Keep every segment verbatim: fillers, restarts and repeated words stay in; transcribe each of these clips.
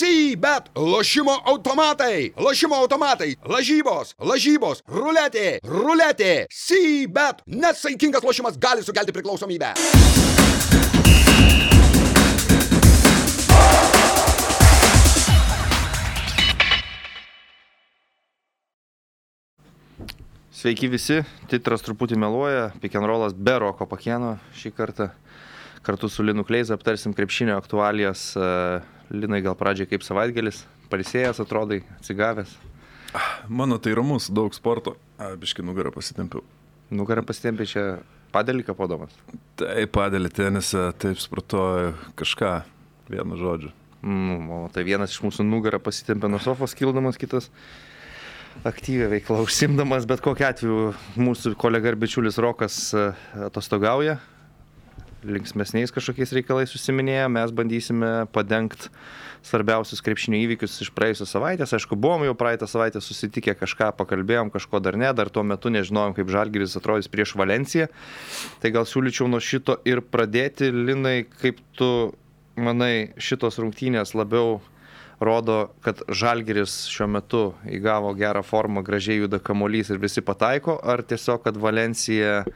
C-bet, lošimo automatai, lošimo automatai, lažybos, lažybos, ruletė, ruletė, C-bet. Nesaikingas lošimas gali sukelti priklausomybę. Sveiki visi, titras truputį meluoja, pick and rollas be Roko Pakėno šį kartą. Kartu su Linu Kleiza aptarsim krepšinio aktualijas. Linai, gal pradžiai kaip savaitgalis, pailsėjęs atrodai, atsigavęs? Mano tai ramus, daug sporto, a, biškai nugarą pasitempiau. Nugarą pasitempiai čia padelį kapodamas? Taip, padelį tenisą, taip sportuoju kažką, vienu žodžiu. Mm, o tai vienas iš mūsų nugarą pasitempė nuo sofos kildamas, kitas aktyvią veiklą užsimdamas, bet kokiu atveju mūsų kolega ir bičiulis Rokas atostogauja, linksmesniais kažkokiais reikalais užsiminėja, mes bandysime padengti svarbiausius krepšinio įvykius iš praėjusios savaitės. Aišku, buvom jau praeitą savaitę susitikę, kažką pakalbėjom, kažko dar ne, dar tuo metu nežinojom, kaip Žalgiris atrodys prieš Valenciją. Tai gal siūlyčiau nuo šito ir pradėti. Linai, kaip tu manai, šitos rungtynės labiau rodo, kad Žalgiris šiuo metu įgavo gerą formą, gražiai juda kamuolys ir visi pataiko, ar tiesiog, kad Valencija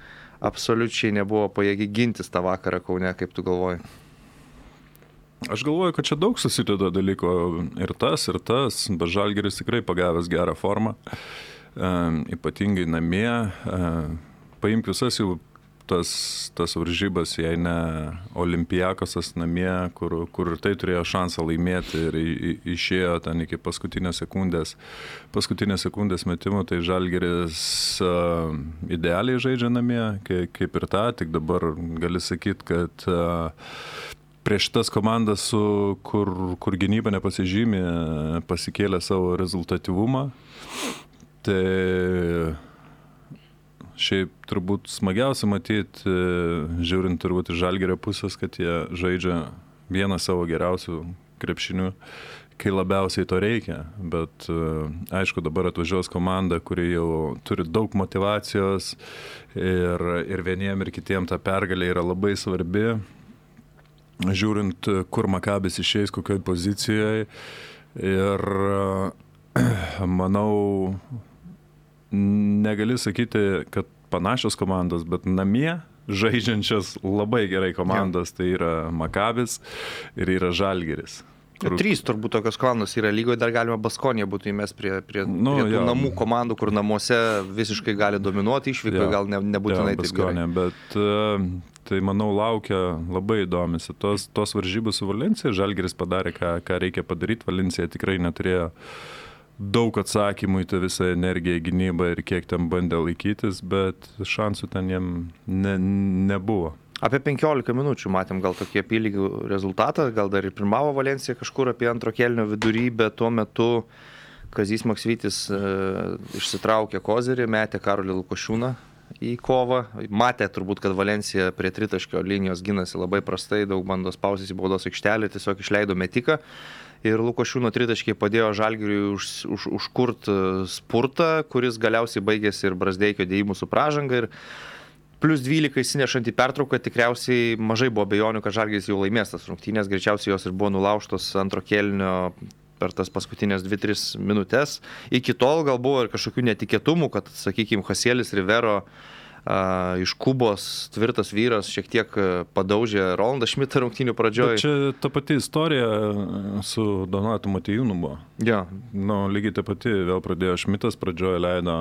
absoliučiai nebuvo pajėgi gintis tą vakarą Kaune, kaip tu galvoji? Aš galvoju, kad čia daug susideda dalyko ir tas, ir tas, bet Žalgiris tikrai pagavęs gerą formą, e, ypatingai namie. E, paimk visas jau tas, tas varžybas, jei ne Olimpiakosas namie, kur, kur tai turėjo šansą laimėti ir į, į, išėjo ten iki paskutinės sekundės, paskutinės sekundės metimų, tai Žalgiris uh, idealiai žaidžia namie, kaip, kaip ir tą, tik dabar gali sakyti, kad uh, prieš tas komandas, su, kur, kur gynyba nepasižymė, pasikėlė savo rezultatyvumą, tai šiaip turbūt smagiausia matyti, žiūrint turbūt iš Žalgirio pusės, kad jie žaidžia vieną savo geriausių krepšinių, kai labiausiai to reikia. Bet aišku, dabar atvažiuos komanda, kuri jau turi daug motyvacijos ir, ir vieniem ir kitiem ta pergalė yra labai svarbi. Žiūrint, kur Makabis išeis, kokioj pozicijoje. Ir manau, negali sakyti, kad panašios komandos, bet namie žaidžiančias labai gerai komandos, tai yra Makabis ir yra Žalgiris. Kur... Trys turbūt tokios komandos yra lygoje, dar galima Baskonija būtų įmest prie, prie, nu, prie tų jo. namų komandų, kur namuose visiškai gali dominuoti, išvyko gal ne, nebūtinai jo, taip gerai. Bet tai, manau, laukia labai įdomis. Tos, tos varžybos su Valencija, Žalgiris padarė, ką, ką reikia padaryti, Valencija tikrai neturėjo daug atsakymų į tą visą energiją, gynybą ir kiek ten bandė laikytis, bet šansų ten jiem ne, nebuvo. Apie penkiolika minučių matėm gal tokį apylygį rezultatą, gal dar ir pirmavo Valencija kažkur apie antro kėlinio vidurį, bet tuo metu Kazys Maksvytis e, išsitraukė kozerį, metė Karolį Lukošiūną į kovą. Matė turbūt, kad Valencija prie tritaškio linijos ginasi labai prastai, daug bando spausis į baudos aikštelę, tiesiog išleido metiką. Ir Lukošiūno tritaškiai padėjo Žalgiriui už, už, užkurt spurtą, kuris galiausiai baigėsi ir Brazdeikio dėjimų su pražanga. Ir plius dvylika įsinešant į pertrauką, tikriausiai mažai buvo abejonių, kad Žalgiris jau laimės tas rungtynės. Greičiausiai jos ir buvo nulaužtos antro kėlinio per tas paskutinės dvi tris minutės. Iki tol gal buvo ir kažkokių netikėtumų, kad, sakykime, Hasielis Rivero Uh, iš Kubos tvirtas vyras šiek tiek padaužė Rolandą Šmitą rungtynių pradžioje. Bet čia ta pati istorija su Donatu Motiejūnu buvo. Ja. Nu, lygiai ta pati, vėl pradėjo Šmitas, pradžioje leido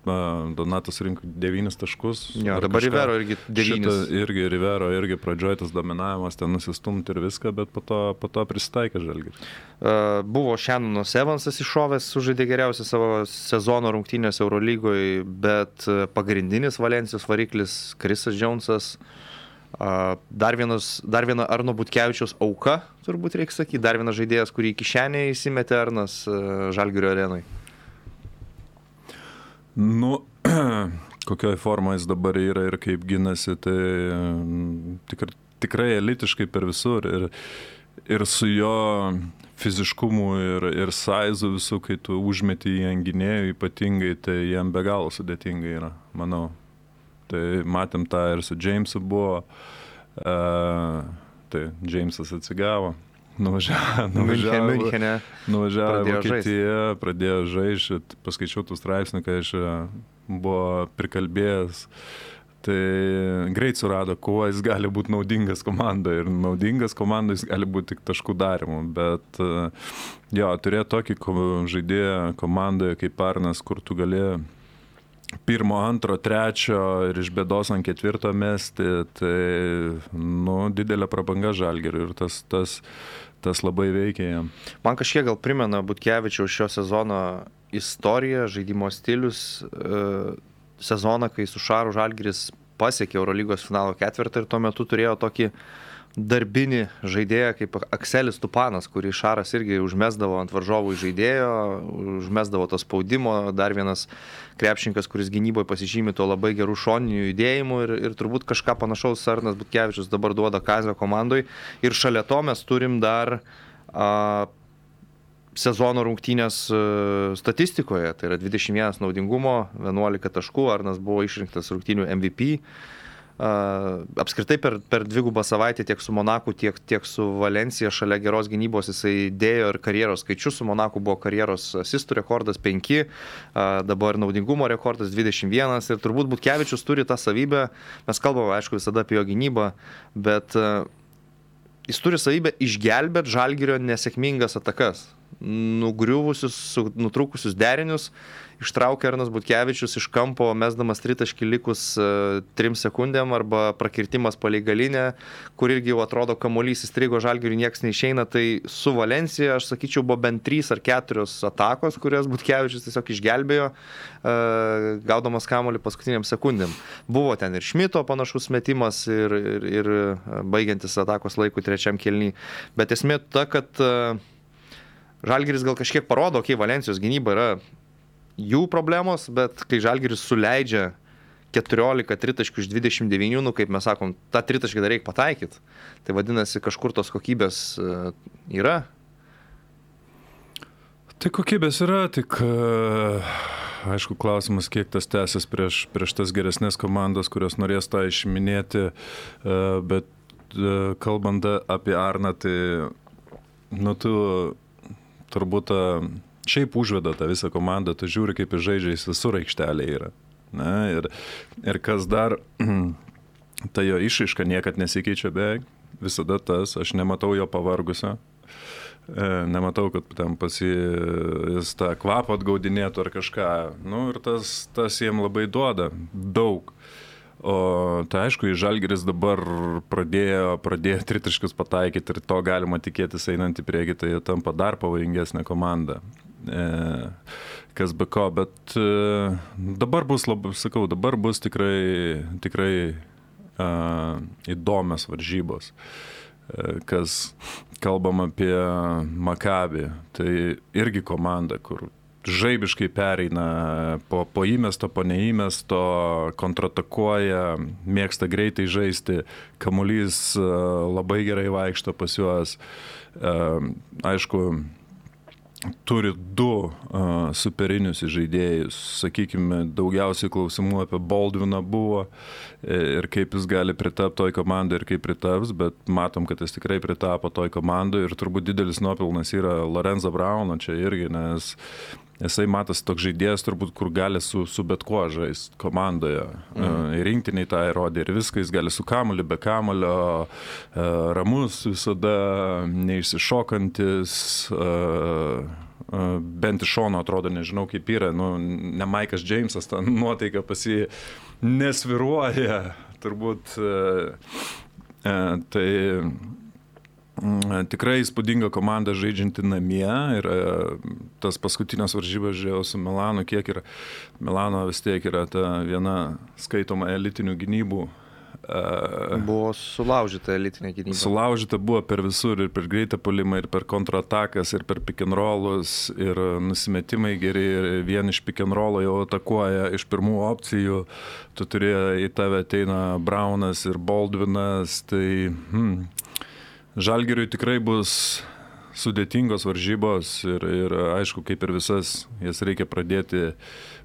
Donatas rinko devynis taškus. Ja, dabar Rivero irgi devynis. Irgi Rivero irgi pradžioje tas dominavimas, ten nusistumti ir viską, bet po to, po to prisitaikė Žalgiris. Uh, buvo Šenonas Evansas iššovęs, sužaidė geriausią savo sezono rungtynės Eurolygoje, bet pagrindinis Valencijos variklis Krisas Džonsas, uh, dar, vienas, dar viena Arno Butkevičiaus auka, turbūt reikia sakyti, dar vienas žaidėjas, kurį į kišenę įsimetė Arnas uh, Žalgirio arenai. Nu, kokioj formai jis dabar yra ir kaip ginasi, tai tikr, tikrai elitiškai per visur ir, ir su jo fiziškumu ir, ir saizu visų, kai tu užmeti į ant gynėjų ypatingai, tai jam be galo sudėtinga yra, manau. Tai matėm tą ir su Jamesu buvo, uh, tai Jamesas atsigavo, nuvažiavo, nuvažiavo, Miunchene. nuvažiavo Pradėjo Vokietiją, pradėjo žaisti, paskaičiau tų straipsnių, kai aš buvo prikalbėjęs. Tai greit surado, kuo jis gali būti naudingas komandai. Ir naudingas komandai jis gali būti tik taškų darimu. Bet jo, turėjo tokį žaidėją komandoje kaip Arnas, kur tu gali pirmo, antro, trečio ir iš bėdos ant ketvirto mesti, tai nu, didelė prabanga Žalgiriui ir tas, tas, tas labai veikia jam. Man kažkiek gal primena Butkevičiaus šio sezono istoriją, žaidimo stilius, e, sezoną, kai su Šaru Žalgiris pasiekė Eurolygos finalo ketvirtą ir tuo metu turėjo tokį darbinį žaidėją kaip Akselis Tupanas, kurį Šaras irgi užmesdavo ant varžovų žaidėjo, užmesdavo to spaudimo, dar vienas krepšininkas, kuris gynyboje pasižymi to labai gerų šoninių judėjimų ir, ir turbūt kažką panašaus Arnas Butkevičius dabar duoda Kazio komandoj ir šalia to mes turim dar a, sezono rungtynės statistikoje, tai yra dvidešimt vienas naudingumo, vienuolika taškų, Arnas buvo išrinktas rungtynių M V P. Uh, apskritai per, per dvigubą savaitę tiek su Monaku, tiek, tiek su Valencija šalia geros gynybos jisai dėjo ir karjeros skaičius. Su Monaku buvo karjeros asistų rekordas penki, uh, dabar naudingumo rekordas dvidešimt vienas ir turbūt Butkevičius turi tą savybę, mes kalbame aišku visada apie jo gynybą, bet uh, jis turi savybę išgelbėti Žalgirio nesėkmingas atakas, nugriuvusius, nutrūkusius derinius. Ištraukė Arnas Butkevičius iš kampo, mesdamas tritaškį likus uh, trim sekundėm arba prakirtimas palei galinę, kur irgi jau atrodo kamuolys įstrigo Žalgiriui, nieks neišeina. Tai su Valencija, aš sakyčiau, buvo bent trys ar keturios atakos, kurias Butkevičius tiesiog išgelbėjo, uh, gaudamas kamuolį paskutiniam sekundėm. Buvo ten ir Šmito panašus metimas ir, ir, ir baigiantis atakos laikų trečiam kėliny. Bet esmė ta, kad uh, Žalgiris gal kažkiek parodo, kai Valencijos gynyba yra jų problemos, bet kai Žalgiris suleidžia keturiolika tritaškių iš dvidešimt devynių, nu, kaip mes sakom, tą tritaškį dar reikia pataikyti. Tai vadinasi, kažkur tos kokybės yra. Tai kokybės yra, tik aišku klausimas, kiek tas tęsis prieš, prieš tas geresnės komandas, kurios norės tą išiminėti, bet kalbant apie Arną, tai nu, tu turbūt šiaip užveda tą visą komandą, tu žiūri, kaip jis žaidžia, jis visur aikštelė yra. Na, ir, ir kas dar, ta jo išraiška niekad nesikeičia beveik, visada tas, aš nematau jo pavargusio, nematau, kad ten pasi jis tą kvapą atgaudinėtų ar kažką, nu ir tas, tas jiem labai duoda daug. O tai aišku, Žalgiris dabar pradėjo, pradėjo tritaškius pataikyti ir to galima tikėtis einant į priekį, tai jie tampa dar pavojingesnė komanda. E, kas be ko, bet e, dabar bus, labai, sakau, dabar bus tikrai, tikrai e, įdomios varžybos. E, kas kalbam apie Maccabi, tai irgi komanda, kur žaibiškai pereina po, po įmesto, po neįmesto, kontratakuoja, mėgsta greitai žaisti, kamuolys labai gerai vaikšto pas juos. Aišku, turi du uh, superinius žaidėjus, sakykime, daugiausiai klausimų apie Baldviną buvo ir kaip jis gali pritapti toj komandai ir kaip pritaps, bet matom, kad jis tikrai pritapo toj komandai ir turbūt didelis nuopelnas yra Lorenzo Brauno čia irgi, nes jisai matas toks žaidėjas turbūt, kur gali su, su bet kuo žaisti komandoje. Mm. Ir rinktiniai tą įrodė ir viską, jis gali su kamuoliu, be kamuolio, ramus visada, neišsišokantis, bent iš šono atrodo, nežinau kaip yra, nu, ne Maikas Džeimsas, ta nuotaika pas jį nesviruoja, turbūt, tai tikrai įspūdinga komanda žaidžianti namie ir tas paskutinės varžybas žiūrėjau su Milanu, kiek yra, Milano vis tiek yra ta viena skaitoma elitinių gynybų. Buvo sulaužyta elitinė gynyba. Sulaužyta buvo per visur ir per greitą puolimą, ir per kontratakas, ir per pick and rollus, ir nusimetimai geri, ir vien iš pick and rollo jau atakuoja iš pirmų opcijų, tu turėjai, į tave ateina Braunas ir Baldvinas, tai hmm, Žalgiriui tikrai bus sudėtingos varžybos ir, ir aišku, kaip ir visas, jas reikia pradėti,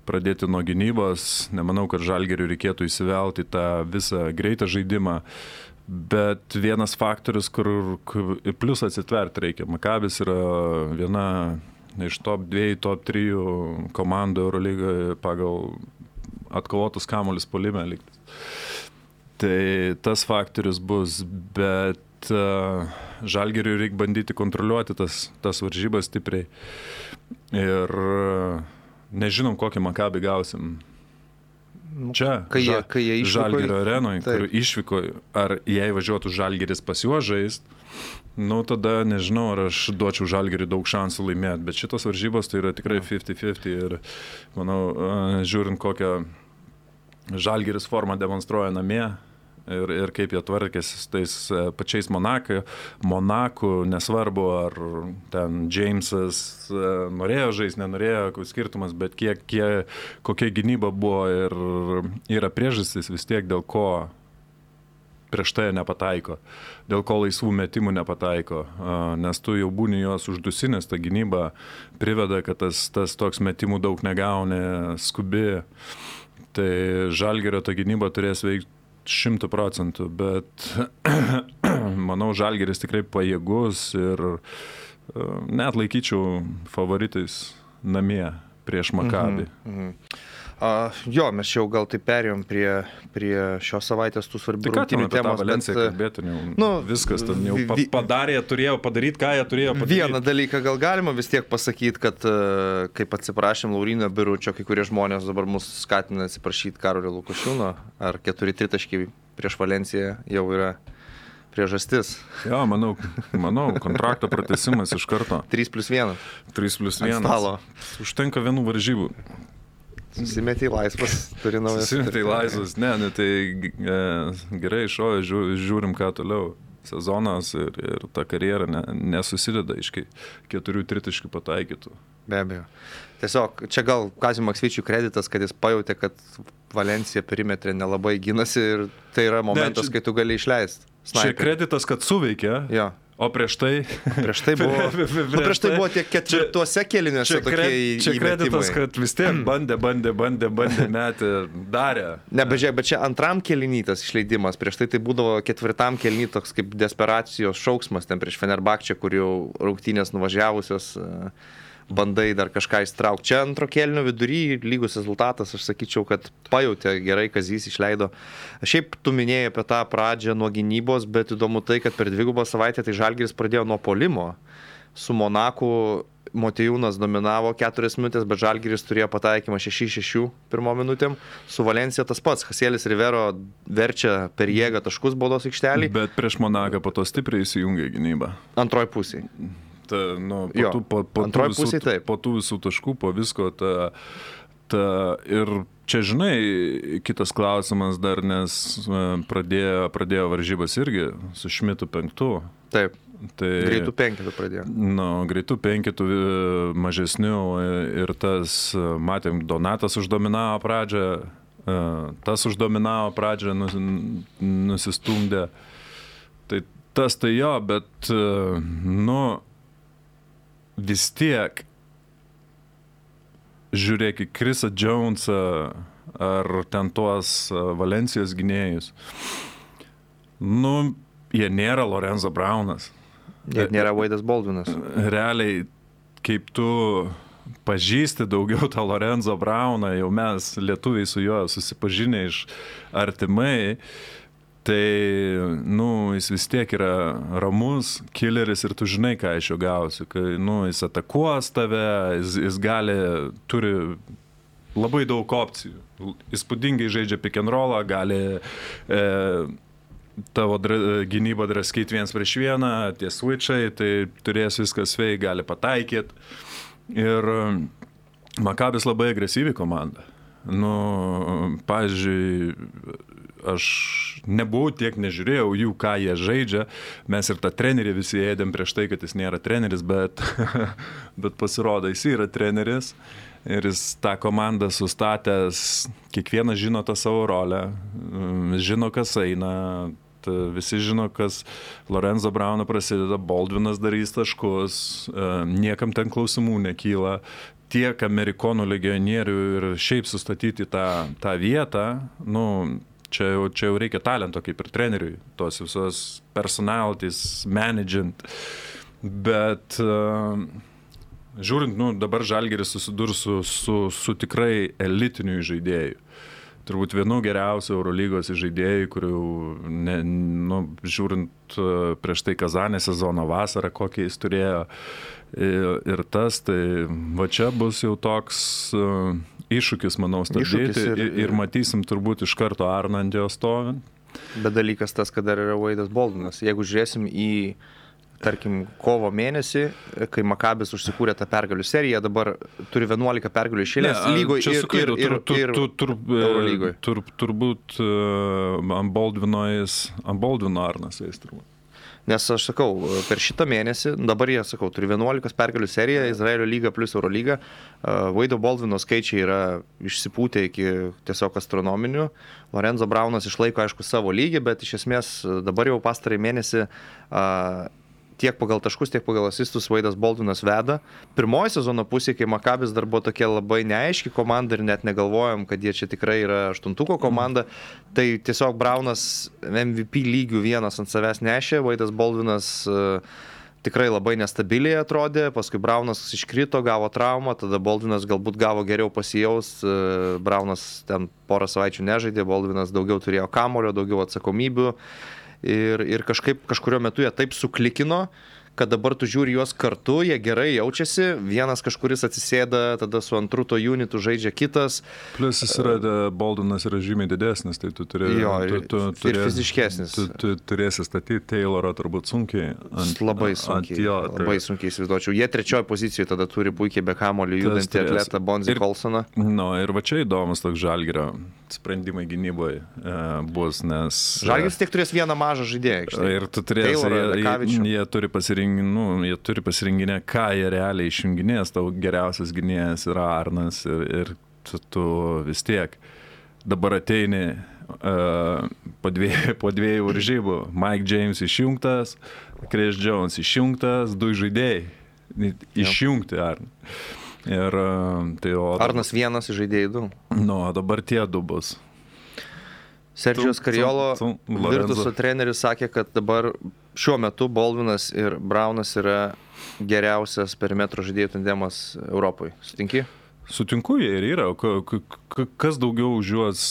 pradėti nuo gynybos. Nemanau, kad Žalgiriui reikėtų įsivelti tą visą greitą žaidimą. Bet vienas faktorius, kur, kur plus atsitverti reikia. Makabis yra viena iš top dviejų, top trijų komandų Eurolygoje pagal atkovotus kamuolius puolime likti. Tai tas faktorius bus, bet uh, Žalgiriui reikia bandyti kontroliuoti tas, tas varžybas stipriai. Ir uh, nežinom, kokį Makabį gausim. Čia, kai jie, kai jie išvyko, Žalgirio arenoje, kur išvyko, ar jei važiuotų Žalgiris pas juos žaist, nu tada nežinau, ar aš duočiau Žalgiriui daug šansų laimėti, bet šitos varžybos tai yra tikrai fifty fifty ir manau, žiūrint kokią Žalgiris formą demonstruoja namie ir, ir kaip jie tvarkėsi su tais pačiais Monaku, Monaku, nesvarbu, ar ten Jamesas norėjo žaisti, nenorėjo, koks skirtumas, bet kiek, kiek, kokia gynyba buvo ir yra priežastis vis tiek, dėl ko prieš tai nepataiko, dėl ko laisvų metimų nepataiko, nes tu jau būni juos uždusinęs, ta gynyba priveda, kad tas, tas toks metimų daug negauni, skubi, tai Žalgirio ta gynyba turės veikti šimtų procentų, bet manau, Žalgiris tikrai pajėgus ir net laikyčiau favoritais namie prieš Makabį. Mhm, mhm. Uh, jo, mes jau gal tai perėjom prie, prie šios savaitės tų svarbių rungtynių temos. Bet kalbėti, jau, nu, viskas ten jau pa, padarė, turėjo padaryti, ką jie turėjo padaryti. Vieną dalyką gal galima vis tiek pasakyti, kad uh, kaip atsiprašėm Lauryno Biručio, kai kurie žmonės dabar mus skatina atsiprašyti Karolio Lukošiūno, ar keturi tritaškiai prieš Valenciją jau yra priežastis. Jo, manau, manau kontrakto pratęsimas iš karto. trys plius vienas. trys plius vienas. Užtenka vienų varžybų. Susimetė į laisvas, turi naujas. Susimetė į laisvas, ne, ne, tai e, gerai išojo, žiūrim ką toliau. Sezonas ir, ir ta karjera ne, nesusideda iš keturių tritaškių pataikytų. Be abejo. Tiesiog, čia gal Kaziui Maksvyčiui kreditas, kad jis pajautė, kad Valencija perimetre nelabai gynasi ir tai yra momentas, ne, čia, kai tu gali išleisti. Čia kreditas, kad suveikė. Jo. O prieš tai? Prieš tai buvo, prieš, nu, prieš tai buvo tiek ketvirtuose kėliniuose tokie įmetimai. Čia kreditas, kad vis tiek bandė, bandė, bandė, bandė, metė, darė. Ne, bet žiūrėk, bet čia antram kėlinytas išleidimas. Prieš tai tai būdavo ketvirtam kėliny toks kaip desperacijos šauksmas ten prieš Fenerbahčę, kur jau rungtynės nuvažiavusios bandai dar kažką įstraukti. Čia antro kėlinio vidury lygus rezultatas, aš sakyčiau, kad pajautė gerai, Kazys išleido. Šiaip tu minėjai apie tą pradžią nuo gynybos, bet įdomu tai, kad per dvigubą savaitę tai Žalgiris pradėjo nuo puolimo. Su Monaku Motiejūnas dominavo keturias minutės, bet Žalgiris turėjo pataikymą šeši šeši pirmo minutėm. Su Valencija tas pats. Hasielis Rivero verčia per jėgą taškus baudos aikštelį. Bet prieš Monaką po to stipriai įsijungė gynybą. Antroj pusėj. Ta, nu, po, tų, po, po, tų visų, po tų visų taškų, po visko, ta, ta, ir čia, žinai, kitas klausimas dar, nes pradėjo, pradėjo varžybas irgi su Šmitu penktu. Taip, tai, greitų penketų pradėjo. Nu, greitų penketų mažesnių ir tas, matėm, Donatas uždominavo pradžią, tas uždominavo pradžią, nus, nusistumdė. Tai tas tai jo, bet, nu, vis tiek žiūrėk į Chrisą Jonesą ar ten tuos Valencijos gynėjus. Nu, jie nėra Lorenzo Braunas. Jie nėra Wade'as Baldwinas. Realiai, kaip tu pažįsti daugiau tą Lorenzo Brauną, jau mes lietuviai su juo susipažinę iš artimai, tai, nu, jis vis tiek yra ramus, killeris ir tu žinai, ką iš jo gausi. Kai, nu, jis atakuos tave, jis, jis gali, turi labai daug opcijų. Įspūdingai žaidžia pick and rollą, gali e, tavo dra, gynybą draskyti viens prieš vieną, tie switchai, tai turės viskas sveik, gali pataikyti. Ir Makabis labai agresyvi komanda. Nu, pavyzdžiui, aš nebuvau tiek, nežiūrėjau jų, ką jie žaidžia. Mes ir tą trenerį visi ėdėm prieš tai, kad jis nėra treneris, bet, bet pasirodo, jis yra treneris. Ir jis tą komandą sustatęs, kiekvienas žino tą savo rolę, žino, kas eina, visi žino, kas Lorenzo Brauno prasideda, Baldwinas darys taškus, niekam ten klausimų nekyla. Tiek amerikonų legionierių ir šiaip sustatyti tą, tą vietą, nu, Čia jau, čia jau reikia talento kaip ir treneriui, tos visos personalities, managing. Bet uh, žiūrint, nu, dabar Žalgiris susidurs su, su, su tikrai elitiniu žaidėju. Turbūt vienu geriausiu Eurolygos žaidėjų, kurių, ne, nu, žiūrint prieš tai Kazanė sezono vasarą, kokį jis turėjo ir, ir tas, tai va čia bus jau toks uh, iššūkis, manau, stabdyti ir, ir, ir matysim turbūt iš karto Arną ant jo stovint. Bet dalykas tas, kad dar yra Wade'as Baldwinas. Jeigu žiūrėsim į tarkim, kovo mėnesį, kai Makabis užsikūrė tą pergalių seriją, dabar turi vienuolika pergalių išėlės lygoje ir, ir, ir, ir Eurolygoje. Tur, turbūt uh, ant Baldwino jis, ant Baldwino Arnas jis turbūt. Nes aš sakau, per šitą mėnesį, dabar jie, sakau, turi vienuolika pergalių seriją, Izraelio lyga plus Eurolyga. Uh, Wade'o Baldwino skaičiai yra išsipūtę iki tiesiog astronominių. Lorenzo Braunas išlaiko, aišku, savo lygį, bet iš esmės dabar jau pastarąjį mėnesį uh, tiek pagal taškus, tiek pagal asistus Wade'as Baldwinas veda. Pirmoji sezono pusė, kai Makabis dar buvo tokia labai neaiški komanda ir net negalvojom, kad jie čia tikrai yra aštuntuko komanda, tai tiesiog Braunas M V P lygių vienas ant savęs nešė, Wade'as Baldwinas uh, tikrai labai nestabiliai atrodė, paskui Braunas iškrito, gavo traumą, tada Baldwinas galbūt gavo geriau pasijaust, uh, Braunas ten porą savaičių nežaidė, Baldwinas daugiau turėjo kamulio, daugiau atsakomybių. Ir, ir kažkaip kažkurio metu jie taip suklikino, kad dabar tu žiūri juos kartu, jie gerai jaučiasi, vienas kažkuris atsisėda, tada su antru to unitu žaidžia kitas. Plus jis yra, Baldwinas yra žymiai didesnis, tai tu turėsi... Jo, tu, tu, ir turės, fiziškesnis. Tu, tu turėsi statyti Taylorą turbūt sunkiai. Ant, labai sunkiai, ant jo, tai... labai sunkiai įsivaizduočiau. Jie trečioje pozicijoje tada turi puikiai be kamulio judantį atletą Bonzi Colsoną. No, ir va čia įdomus toks Žalgirio sprendimai gynyboje e, bus, nes... Žalgiris tiek turės vieną mažą žaidėją. Ir tu turėsi, Taylorą, jie, jie, jie turi pasirinkti, nu, jie turi pasirinkinę, ką jie realiai išjunginės, tau geriausias gynėjas yra Arnas ir, ir tu, tu vis tiek dabar ateini uh, po, dviejų, po dviejų varžybų, Mike James išjungtas, Chris Jones išjungtas, du žaidėjai išjungti Arną. Ir, uh, tai, o, Arnas vienas žaidėjai du. Nu, dabar tie du bus. Sergijos Kariolo Virtuso treneris sakė, kad dabar šiuo metu Baldwinas ir Braunas yra geriausias perimetro žaidėjų tandemas Europoje. Sutinki? Sutinku, jie ir yra. Kas daugiau už juos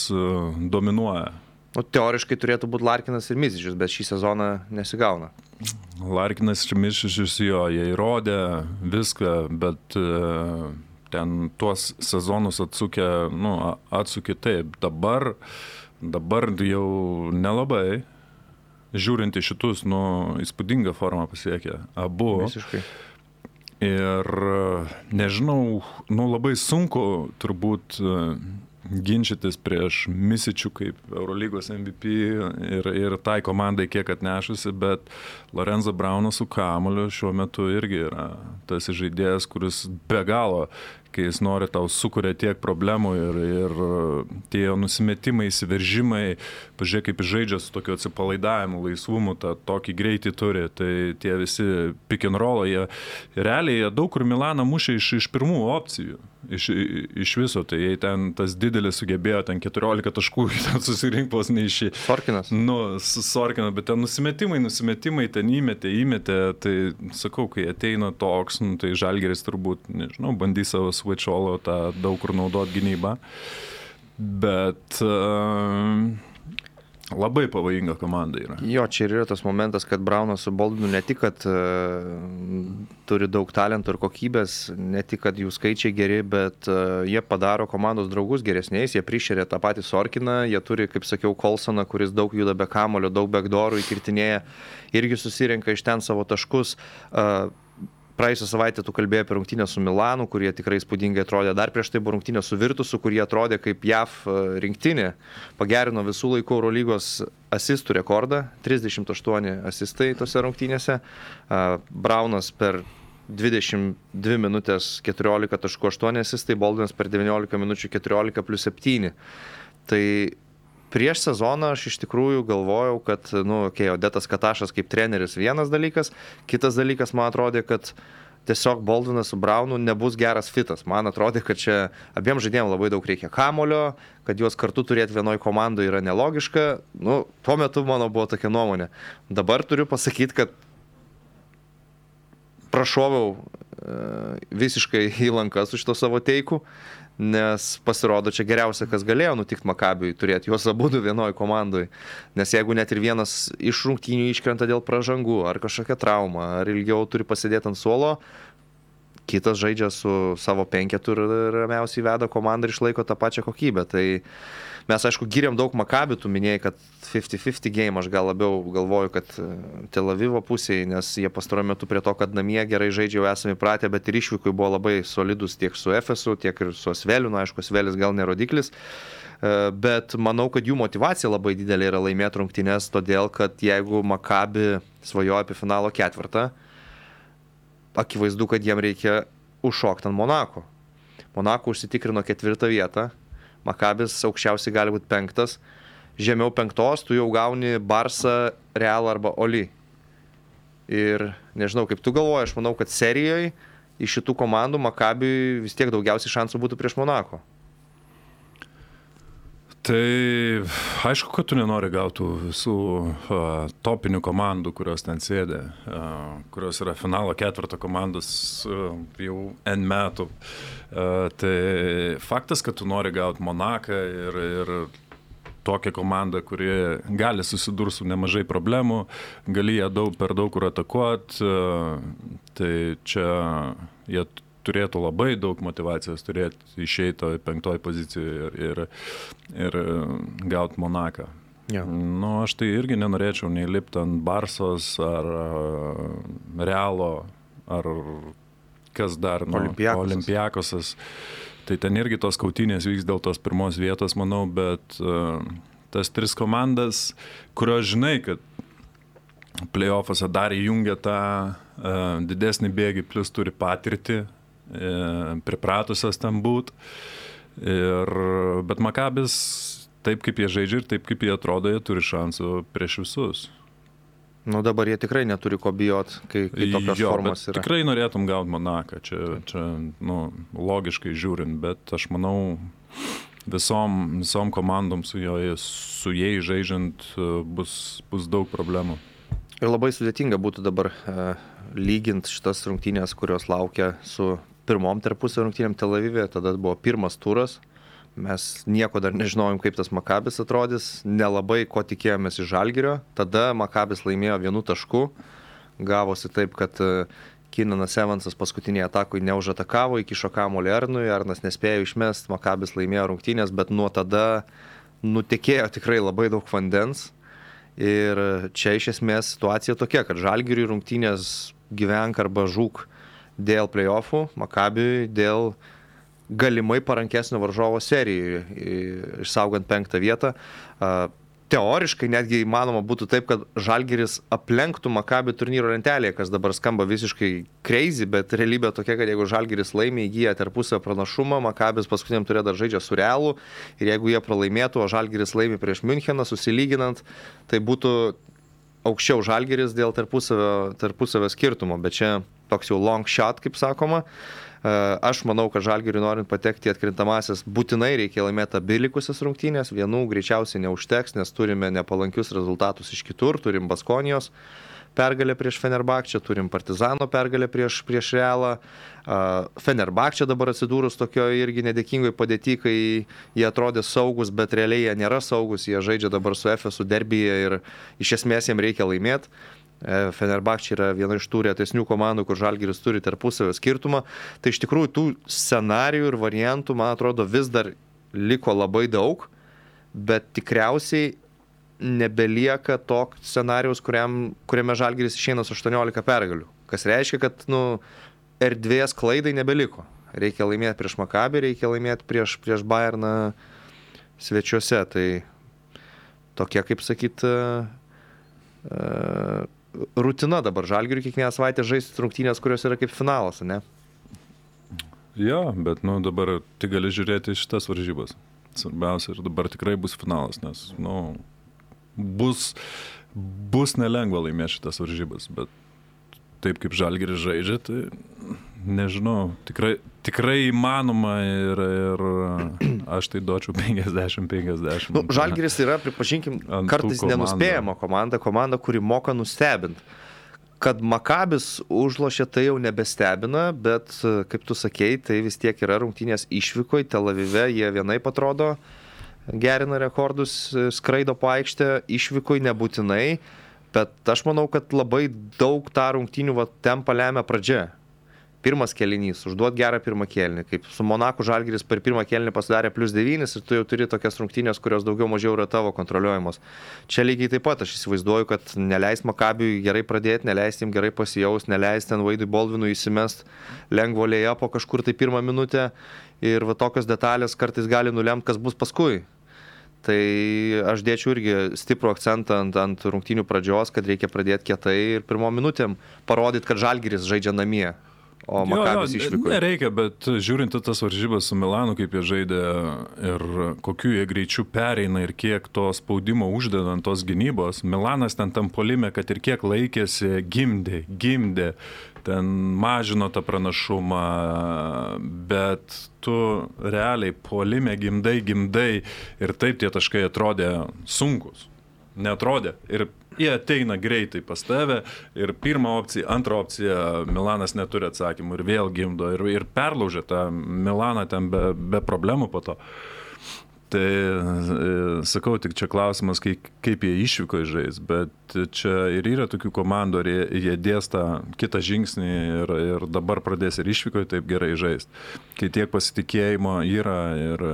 dominuoja? O teoriškai turėtų būti Larkinas ir Mizičius, bet šį sezoną nesigauna. Larkinas ir Mizičius, jo, jie įrodė viską, bet ten tuos sezonus atsukę, nu, atsukė taip. Dabar Dabar jau nelabai, žiūrint į šitus, nu, įspūdingą formą pasiekė abu. Visiškai. Ir nežinau, nu, labai sunku turbūt ginčytis prieš Misičių kaip Eurolygos M V P ir, ir tai komandai kiek atnešusi, bet Lorenzo Braunas su kamuoliu šiuo metu irgi yra tas žaidėjas, kuris be galo, kai jis nori, tau sukuria tiek problemų ir, ir tie nusimetimai, įsiveržimai, pažiūrėk, kaip jis žaidžia su tokiu atsipalaidavimu, laisvumu, tą tokį greitį turi, tai tie visi pick and roll, jie realiai jie daug kur Milaną mušė iš, iš pirmų opcijų, iš, iš viso, tai jei ten tas didelis sugebėjo ten keturiolika taškų, ten susirinkpos neišį. Sorkinas. Nu, Sorkinas, bet ten nusimetimai, nusimetimai, ten įmetė, įmetė, tai sakau, kai ateina toks, nu, tai Žalgiris turbūt, nežinau, bandys savo switch-olo tą daug kur naudot gynybą, bet uh, labai pavojinga komanda yra. Jo, čia ir yra tas momentas, kad Braunas su Baldwinu ne tik, kad uh, turi daug talento ir kokybės, ne tik, kad jų skaičiai geri, bet uh, jie padaro komandos draugus geresniais, jie prišeria tą patį Sorkiną, jie turi, kaip sakiau, Colsoną, kuris daug juda be kamulio, daug backdoorų įkirtinėja, irgi susirenka iš ten savo taškus. Uh, Praėjusią savaitę tu kalbėjai apie rungtynę su Milanu, kurie tikrai įspūdingai atrodė. Dar prieš tai buvo rungtynė su Virtusu, kurie atrodė kaip J A V rinktinė. Pagerino visų laikų Eurolygos asistų rekordą. trisdešimt aštuoni asistai tose rungtynėse. Braunas per dvidešimt dvi minutės keturiolika taškų aštuoni asistai, Baldwinas per devyniolika minučių keturiolika plius septyni. Tai prieš sezoną aš iš tikrųjų galvojau, kad, nu, okay, Odetas Katašas kaip treneris vienas dalykas, kitas dalykas man atrodė, kad tiesiog Boldinas su Braunu nebus geras fitas. Man atrodė, kad čia abiem žaidėjim labai daug reikia kamulio, kad juos kartu turėti vienoj komandai yra nelogiška. Nu, tuo metu mano buvo tokia nuomonė. Dabar turiu pasakyti, kad prašoviau visiškai į lankas su šito savo teiku, nes pasirodo čia geriausia, kas galėjo nutikti Makabiui, turėti juos abudu vienoj komandai. Nes jeigu net ir vienas iš rungtynių iškrenta dėl pražangų, ar kažkokia trauma, ar ilgiau turi pasidėti ant suolo, kitas žaidžia su savo penketu ir ramiausiai veda komandą ir išlaiko tą pačią kokybę. Tai mes, aišku, giriam daug Makabių, tu minėjai, kad fifty fifty game, aš gal labiau galvoju, kad Tel Avivo pusėje, nes jie pastaruoju metu prie to, kad namie gerai žaidžia, jau esame įpratę, bet ir išvykui buvo labai solidus tiek su Efesu, tiek ir su Asveliu, nu, aišku, Asvelis gal nerodiklis, bet manau, kad jų motivacija labai didelė yra laimėti rungtynes, todėl, kad jeigu Makabi svajoja apie finalo ketvirtą, akivaizdu, kad jiem reikia užšokti ant Monako. Monako užsitikrino ketvirtą vietą, Makabis aukščiausiai gali būti penktas, žemiau penktos tu jau gauni Barsą, Realą arba Oli. Ir nežinau, kaip tu galvoji, aš manau, kad serijoje iš šitų komandų Makabiui vis tiek daugiausiai šansų būtų prieš Monako. Tai aišku, kad tu nenori gauti visų uh, topinių komandų, kurios ten sėdė, uh, kurios yra finalo ketvirto komandos uh, jau N metų. Uh, tai faktas, kad tu nori gauti Monaką ir, ir tokią komandą, kuri gali susidurti su nemažai problemų, gali ją daug, per daug kur atakuoti, uh, tai čia jie turėtų labai daug motivacijos turėti išeito į penktoj pozicijoje ir, ir, ir gauti Monaką. Ja. Nu, aš tai irgi nenorėčiau nei lipti ant Barsos ar Realo ar kas dar, nu, Olimpiakosas. Olimpiakosas. Tai ten irgi tos kautynės vyks dėl tos pirmos vietos, manau, bet uh, tas tris komandas, kurios žinai, kad play-offuose dar įjungia tą uh, didesnį bėgį, plus turi patirtį, pripratusios ten būt. Ir, bet Makabis, taip kaip jie žaidžia ir taip kaip jie atrodo, jie turi šansų prieš visus. Nu dabar jie tikrai neturi ko bijot, kai, kai tokios jo, formos yra. Tikrai norėtum gauti Monaką, čia, čia nu, logiškai žiūrint, bet aš manau, visom, visom komandom su, jo, su jais žaidžiant bus, bus daug problemų. Ir labai sudėtinga būtų dabar e, lyginti šitas rungtynės, kurios laukia su pirmom tarpusio rungtynėm Tel Avive. Tada buvo pirmas turas. Mes nieko dar nežinojom, kaip tas Makabis atrodys. Nelabai ko tikėjomės iš Žalgirio. Tada Makabis laimėjo vienu tašku. Gavosi taip, kad Kinanas Evansas paskutinėje atakui neužatakavo, įkišo kamuolį Arnui. Arnas nespėjo išmest, Makabis laimėjo rungtynės, bet nuo tada nutekėjo tikrai labai daug vandens. Ir čia iš esmės situacija tokia, kad Žalgiriui rungtynės gyvenk arba žūk dėl play-offų, Makabiui dėl galimai parankesnio varžovo serijai, išsaugant penktą vietą. Teoriškai netgi įmanoma būtų taip, kad Žalgiris aplenktų Makabi turnyro lentelėje, kas dabar skamba visiškai crazy, bet realybė tokia, kad jeigu Žalgiris laimė, įgyja tarpusavio pranašumą, Makabis paskutiniam turė dar žaidžia su Realu ir jeigu jie pralaimėtų, o Žalgiris laimė prieš Müncheną, susilyginant, tai būtų aukščiau Žalgiris dėl tarpusavio, tarpusavio skirtumo, bet čia toks jau long shot, kaip sakoma. Aš manau, kad Žalgiriui norint patekti į atkrintamasis, būtinai reikia laimėti abi likusias rungtynės. Vienų greičiausiai neužteks, nes turime nepalankius rezultatus iš kitur. Turim Baskonijos pergalę prieš Fenerbahčę, turim Partizano pergalę prieš, prieš Realą. Fenerbahčė dabar atsidūrus tokio irgi nedėkingai padėti, kai jie atrodė saugus, bet realiai jie nėra saugus. Jie žaidžia dabar su Efesu derbyje ir iš esmės jiems reikia laimėti. Fenerbahčė yra viena iš tų retesnių komandų, kur Žalgiris turi tarpusavio skirtumą. Tai iš tikrųjų tų scenarijų ir variantų, man atrodo, vis dar liko labai daug, bet tikriausiai nebelieka to scenarijaus, kuriam, kuriame Žalgiris išeina su aštuoniolika pergalių. Kas reiškia, kad nu, erdvės klaidai nebeliko. Reikia laimėti prieš Makabį, reikia laimėti prieš, prieš Bayerną svečiuose. Tai tokia, kaip sakyt, uh, rutina dabar Žalgiriui kiekvieną savaitę žaisti rungtynės, kurios yra kaip finalas, ne? Jo, bet nu, dabar tik gali žiūrėti šitas varžybas. Svarbiausia, ir dabar tikrai bus finalas, nes nu, bus, bus nelengva laimėti šitas varžybas, bet taip, kaip Žalgiris žaidžia, tai nežinau, tikrai, tikrai įmanoma ir, ir aš tai duočiau penkiasdešimt penkiasdešimt. Nu, Žalgiris yra, pripažinkim, kartais nenuspėjama komanda, komanda, kuri moka nustebinti. Kad Makabis užlošė, tai jau nebestebina, bet, kaip tu sakei, tai vis tiek yra rungtynės išvykoj, Tel Avive, jie vienaip atrodo, gerina rekordus, skraido po aikštę, išvykoj nebūtinai, bet aš manau, kad labai daug tą rungtynių va, tempą lemia pradžia. Pirmas kėlinys, užduot gerą pirmą kėlinį, kaip su Monaku Žalgiris per pirmą kėlinį pasidarė plus devynis ir tu jau turi tokias rungtynės, kurios daugiau mažiau yra tavo kontroliuojamos. Čia lygiai taip pat aš įsivaizduoju, kad neleis Makabiui gerai pradėti, neleis jam gerai pasijaus, neleis ten Vaidui Boldvinui įsimest lengvo lėja po kažkur tai pirmą minutę ir va tokios detalės kartais gali nulemti, kas bus paskui. Tai aš dėčiau irgi stiprų akcentą ant, ant rungtynių pradžios, kad reikia pradėti kietai ir pirmom minutėm parodyti, kad Žalgiris žaidžia namie. O Makabis išvyko. Nereikia, bet žiūrint tas varžybas su Milanu, kaip jie žaidė ir kokiu jie greičiu pereina ir kiek to spaudimo uždeda ant tos gynybos, Milanas ten tam puolime, kad ir kiek laikėsi, gimdė, gimdė, ten mažino tą pranašumą, bet tu realiai puolime gimdai, gimdai ir taip tie taškai atrodė sunkus. Neatrodė. Ir jie ateina greitai pas tave ir pirmą opciją, antrą opciją Milanas neturi atsakymų ir vėl gimdo ir, ir perlaužia tą Milaną ten be, be problemų po to. Tai sakau, tik čia klausimas, kaip, kaip jie išvyko žais, bet čia ir yra tokių komandų, ar jie, jie dėsta kitą žingsnį ir, ir dabar pradės ir išvyko taip gerai žais. Kai tiek pasitikėjimo yra ir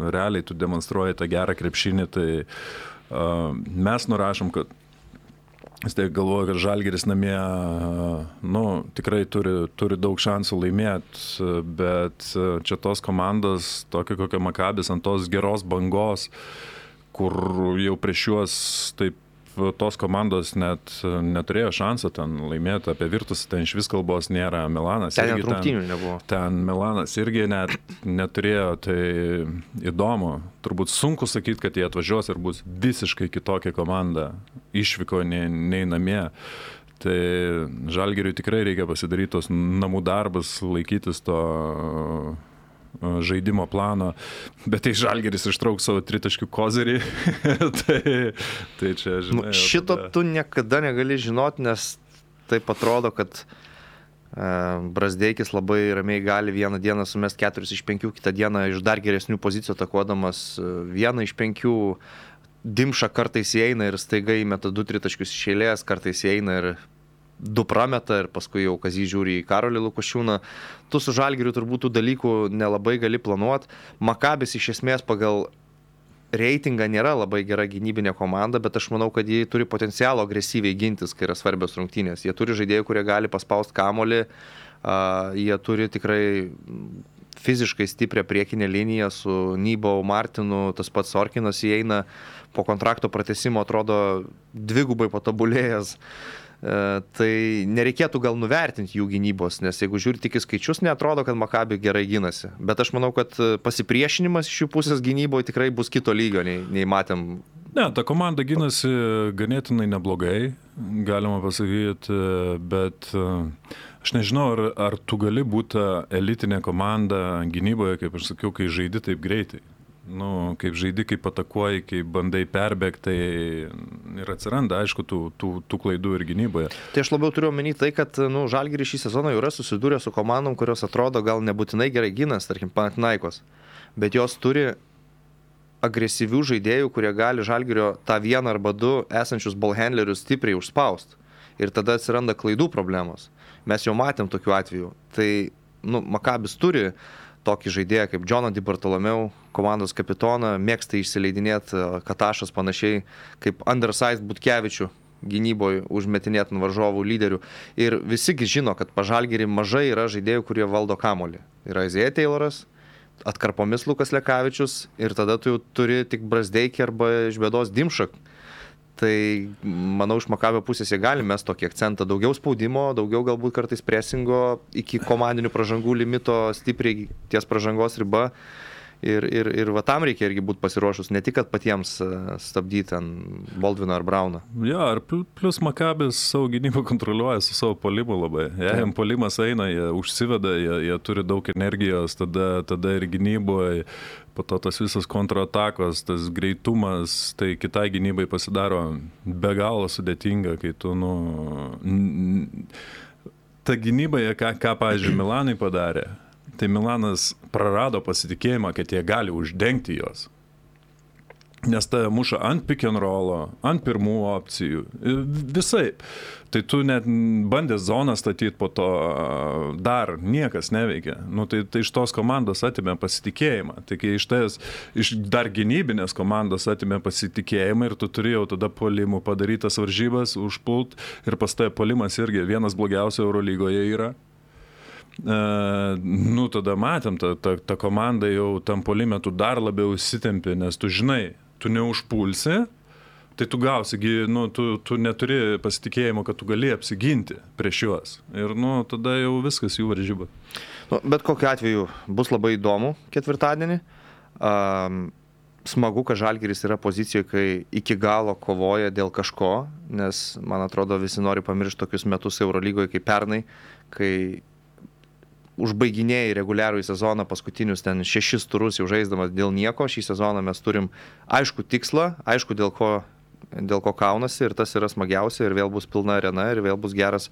realiai tu demonstruoji tą gerą krepšinį, tai uh, mes nurašom, kad vis tiek galvoju, kad Žalgiris namie nu, tikrai turi, turi daug šansų laimėti, bet čia tos komandos, tokia kokia Makabis, ant tos geros bangos, kur jau prieš juos taip tos komandos net neturėjo šansą ten laimėti, apie Virtus ten iš vis kalbos nėra, Milanas ten irgi rungtynių nebuvo. Ten Milanas irgi net neturėjo, tai įdomu. Turbūt sunku sakyti, kad jie atvažiuos ir bus visiškai kitokia komanda, išvyko nei, nei namie. Tai Žalgiriui tikrai reikia pasidaryti tos namų darbus, laikytis to žaidimo plano, bet tai Žalgiris ištrauks savo tritaškių kozerį, tai, tai čia, žinai... Nu, šito tada... tu niekada negali žinoti, nes taip atrodo, kad e, Brazdeikis labai ramiai gali vieną dieną sumest keturis iš penkių, kitą dieną iš dar geresnių pozicijų atakuodamas vieną iš penkių, Dimša kartais įeina ir staiga įmeta du tritaškius iš eilės, kartais įeina ir du prameta ir paskui jau Kazys žiūri į Karolį Lukošiūną. Tu su Žalgiriu turbūt tų dalykų nelabai gali planuoti. Makabis iš esmės pagal reitingą nėra labai gera gynybinė komanda, bet aš manau, kad jie turi potencialo agresyviai gintis, kai yra svarbios rungtynės. Jie turi žaidėjų, kurie gali paspausti kamuolį, uh, jie turi tikrai fiziškai stiprią priekinę liniją su Nybau, Martinu, tas pats Sorkinas įeina po kontrakto pratęsimo, atrodo dvigubai patobulėjęs. Tai nereikėtų gal nuvertinti jų gynybos, nes jeigu žiūri tik į skaičius, neatrodo, kad Makabi gerai gynasi. Bet aš manau, kad pasipriešinimas iš jų pusės gynyboje tikrai bus kito lygio, nei, nei matėm. Ne, ta komanda gynasi ganėtinai neblogai, galima pasakyti, bet aš nežinau, ar, ar tu gali būti elitinė komanda gynyboje, kaip aš sakiau, kai žaidi taip greitai. Nu, kaip žaidi, kaip atakuoji, kaip bandai perbėgti, tai ir atsiranda, aišku, tų, tų, tų klaidų ir gynyboje. Tai aš labiau turiu omeny tai, kad nu, Žalgiris šį sezoną jau yra susidūrę su komandom, kurios atrodo gal nebūtinai gerai gynas, tarkim, Panathinaikos, bet jos turi agresyvių žaidėjų, kurie gali Žalgirio tą vieną arba du esančius ballhandlerius stipriai užspausti. Ir tada atsiranda klaidų problemos. Mes jau matėm tokių atvejų. Tai nu, Makabis turi tokį žaidėją kaip Džoną Di Bartolomeu, komandos kapitoną, mėgsta išsileidinėti Katašas panašiai kaip undersized Butkevičių gynyboje užmetinėti ant varžovų lyderių. Ir visigi žino, kad pa Žalgirį mažai yra žaidėjų, kurie valdo kamuolį. Yra Isaiah Tayloras, atkarpomis Lukas Lekavičius ir tada tu jau turi tik Brazdeikį arba iš bėdos Dimšą. Tai manau, iš Makabio pusės jie gali mest tokį akcentą, daugiau spaudimo, daugiau galbūt kartais presingo iki komandinių pražangų limito stipriai ties pražangos riba Ir, ir, ir va tam reikia irgi būti pasiruošus, ne tik, kad patiems stabdyti ant Baldviną ar Brauną. Jo, ir plus Makabis savo gynybą kontroliuoja su savo polimu labai. Jei jam polimas eina, jie užsiveda, jie, jie turi daug energijos, tada, tada ir gynyboje, po to tas visas kontratakos, tas greitumas, tai kitai gynybai pasidaro be galo sudėtinga, kai tu, nu... Ta gynyba, ką, ką pavyzdžiui, Milanai padarė, tai Milanas prarado pasitikėjimą, kad jie gali uždengti jos. Nes tai muša ant pick and rollo, ant pirmų opcijų, visai. Tai tu net bandęs zoną statyti po to, dar niekas neveikia. Nu, tai, tai iš tos komandos atimė pasitikėjimą. Tai kai iš, tais, iš dar gynybinės komandos atimė pasitikėjimą ir tu turėjau tada polimų padarytas varžybas, užpult ir pas tai polimas irgi vienas blogiausių Eurolygoje yra. Uh, nu, tada matėm, ta, ta, ta komanda jau tam polime tu dar labiau įsitempė, nes tu žinai, tu neužpulsi, tai tu gausi, nu, tu, tu neturi pasitikėjimo, kad tu gali apsiginti prieš juos. Ir, nu, tada jau viskas jų varžyba. Nu, bet kokiu atveju bus labai įdomu ketvirtadienį. Um, smagu, kad Žalgiris yra pozicijoje, kai iki galo kovoja dėl kažko, nes, man atrodo, visi nori pamiršti tokius metus Eurolygoje kaip pernai, kai užbaiginėjai reguliarų į sezoną paskutinius ten šešis turus jau žaisdamas dėl nieko. Šį sezoną mes turim aišku tikslą, aišku dėl ko, dėl ko kaunasi ir tas yra smagiausia ir vėl bus pilna arena ir vėl bus geras,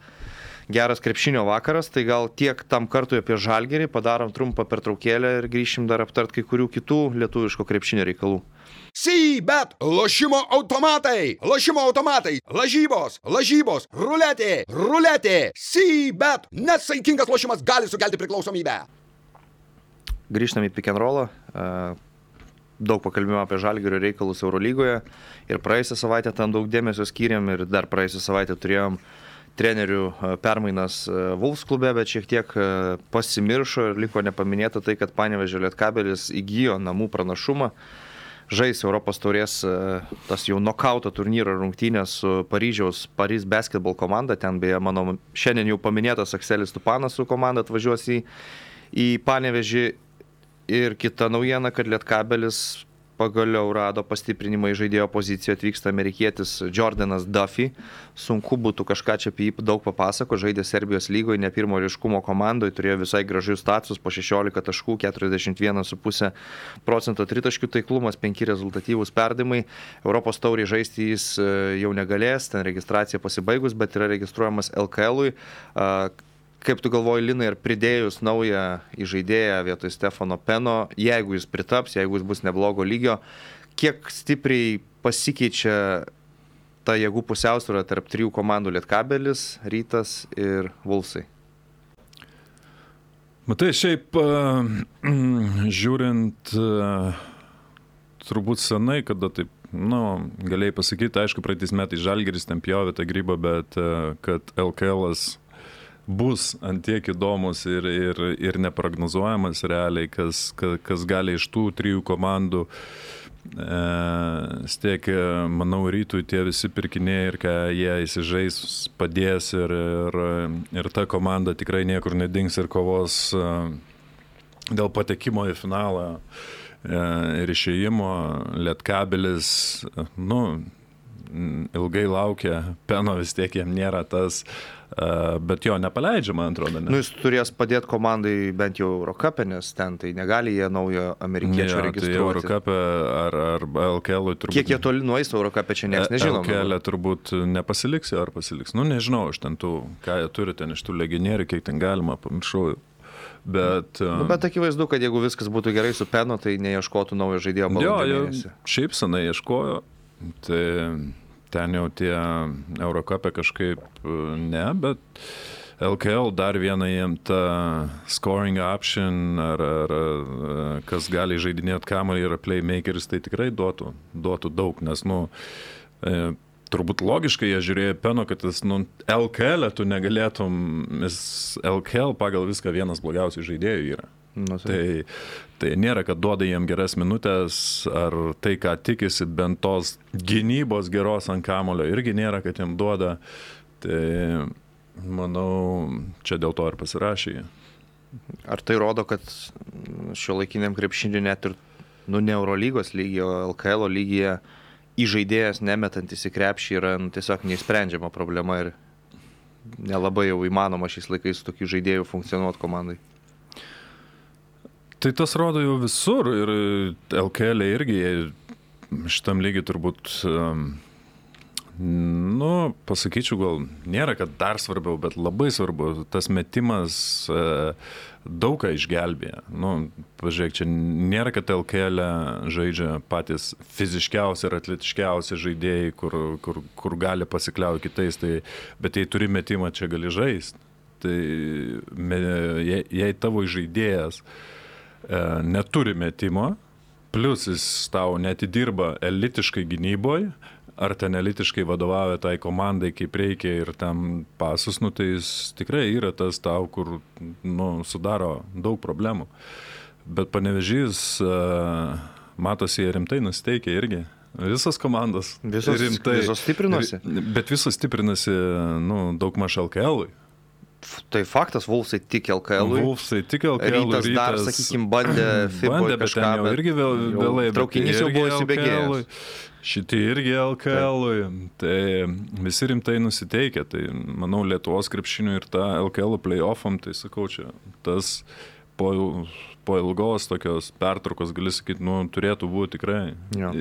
geras krepšinio vakaras. Tai gal tiek tam kartui apie Žalgirį, padarom trumpą pertraukėlę ir grįšim dar aptart kai kurių kitų lietuviško krepšinio reikalų. C-Bet, lošimo automatai, lošimo automatai, lažybos, lažybos, ruletė, ruletė, C-Bet, nesaikingas lošimas gali sukelti priklausomybę. Grįžtam į pick and rollą, daug pakalbėjome apie Žalgirio reikalus Eurolygoje ir praėjusią savaitę tam daug dėmesio skyrėm ir dar praėjusią savaitę turėjom trenerių permainas Wolves klube, bet šiek tiek pasimiršo ir liko nepaminėta tai, kad Panevėžio Lietkabelis įgijo namų pranašumą. Žais Europos taurės tas jau nokauto turnyro rungtynės su Paryžiaus Paris Basketball komanda. Ten beje mano šiandien jau paminėtas Akselis Tupanas su komanda atvažiuos į, į Panevėžį. Ir kita naujiena, kad Lietkabelis pagaliau rado pastiprinimą į žaidėjo poziciją, atvyksta amerikietis Jordanas Duffy. Sunku būtų kažką čia apie jį daug papasako, žaidė Serbijos lygoje, ne pirmo ryškumo komandoje, turėjo visai gražius status, po šešiolika taškų, keturiasdešimt vienas su pusė procento tritaškių taiklumas, penki rezultatyvūs perdavimai. Europos taurį žaisti jis jau negalės, ten registracija pasibaigus, bet yra registruojamas L K L-ui. Kaip tu galvoji, Linai, ir pridėjus naują įžaidėją vietoj Stefano Peno, jeigu jis pritaps, jeigu jis bus neblogo lygio, kiek stipriai pasikeičia ta jėgų pusiausvyrą tarp trijų komandų Lietkabelis, Rytas ir Wolvesai? Matai, šiaip žiūrint, turbūt senai, kada taip, nu, galėjai pasakyti, aišku, praeitais metais Žalgiris ten pjovė tą grybą, bet kad L K L-as bus antiek įdomus ir, ir, ir neprognozuojamas realiai, kas, kas, kas gali iš tų trijų komandų e, stiek, manau, Rytui tie visi pirkiniai ir ką jie įsižais padės ir, ir, ir ta komanda tikrai niekur nedings ir kovos e, dėl patekimo į finalą e, ir išėjimo. Lietkabelis, nu, ilgai laukia, Peno vis tiek jam nėra tas, bet jo nepaleidžia, man atrodo. Ne? Nu, jis turės padėti komandai bent jau Eurocup'e, nes ten tai negali jie naujo amerikiečio ja, registruoti. Tai Eurocup'e ar, ar L K L-ui turbūt... Kiek jie toli nueis Eurocup'e, čia niekas nežino. L K L-e turbūt nepasiliks ar pasiliks. Nu, nežinau, aš ten tų, ką jie turi ten iš tų legionierių, kiek ten galima, pamiršau. Bet, nu, bet akivaizdu, kad jeigu viskas būtų gerai su Penu, tai neieškotų naujo žaidėjo balandžio mėnesį. Šiaip senai ieškojo, tai... Ten jau tie Eurocup'e kažkaip ne, bet L K L dar viena jiem ta scoring option ar, ar, ar kas gali žaidinėti kamuolį ir playmakeris, tai tikrai duotų, duotų daug, nes, nu, e, turbūt logiškai jie žiūrėjo Peno, kad jis, nu, L K L tu negalėtum, jis L K L pagal viską vienas blogiausių žaidėjų yra. Nu, tai, tai nėra, kad duoda jiem geras minutės ar tai, ką tikisi, bent tos gynybos geros ant kamulio irgi nėra, kad jiem duoda. Tai manau, čia dėl to ir pasirašė. Ar tai rodo, kad šiuolaikiniam krepšiniui net ir, nu, ne Eurolygos lygyje, o L K L lygyje įžaidėjas nemetantis į krepšį yra nu, tiesiog neišsprendžiama problema ir nelabai jau įmanoma šiais laikais su tokiu žaidėjų funkcionuoti komandai. Tai tas rodo jau visur ir L K L irgi šitam lygiai turbūt, nu, pasakyčiau, gal nėra, kad dar svarbiau, bet labai svarbu, tas metimas daug ką išgelbėja. Nu, pažiūrėk, čia nėra, kad L K L žaidžia patys fiziškiausi ir atletiškiausi žaidėjai, kur, kur, kur gali pasikliauti kitais, tai, bet jei turi metimą, čia gali žaisti. Tai jei, jei tavo žaidėjas neturi metimo, plus jis tau netidirba elitiškai gynyboje, ar ten elitiškai vadovauja tai komandai, kaip reikia ir tam pasus, nu, tai jis tikrai yra tas tau, kur nu, sudaro daug problemų. Bet Panevėžys, matosi, rimtai nusiteikia irgi. Visas komandas visos, rimtai. Visos stiprinosi. Bet visos stiprinasi nu, daug maž L K L-ui. Tai faktas, Wolfsai tik L K L-ui. Wolfsai tik L K L-ui. Rytas, rytas dar, sakykime, bandė FIBOje kažką, bet jau irgi vėl, vėlai. Traukinys jau buvo įsibėgėjęs. Šitie irgi L K L-ui. Tai visi rimtai nusiteikia. Tai, manau, Lietuvos krepšiniui ir tą L K L play-offam, tai sakau, čia tas po, po ilgos tokios pertraukos, gali sakyti, nu, turėtų būti tikrai ja.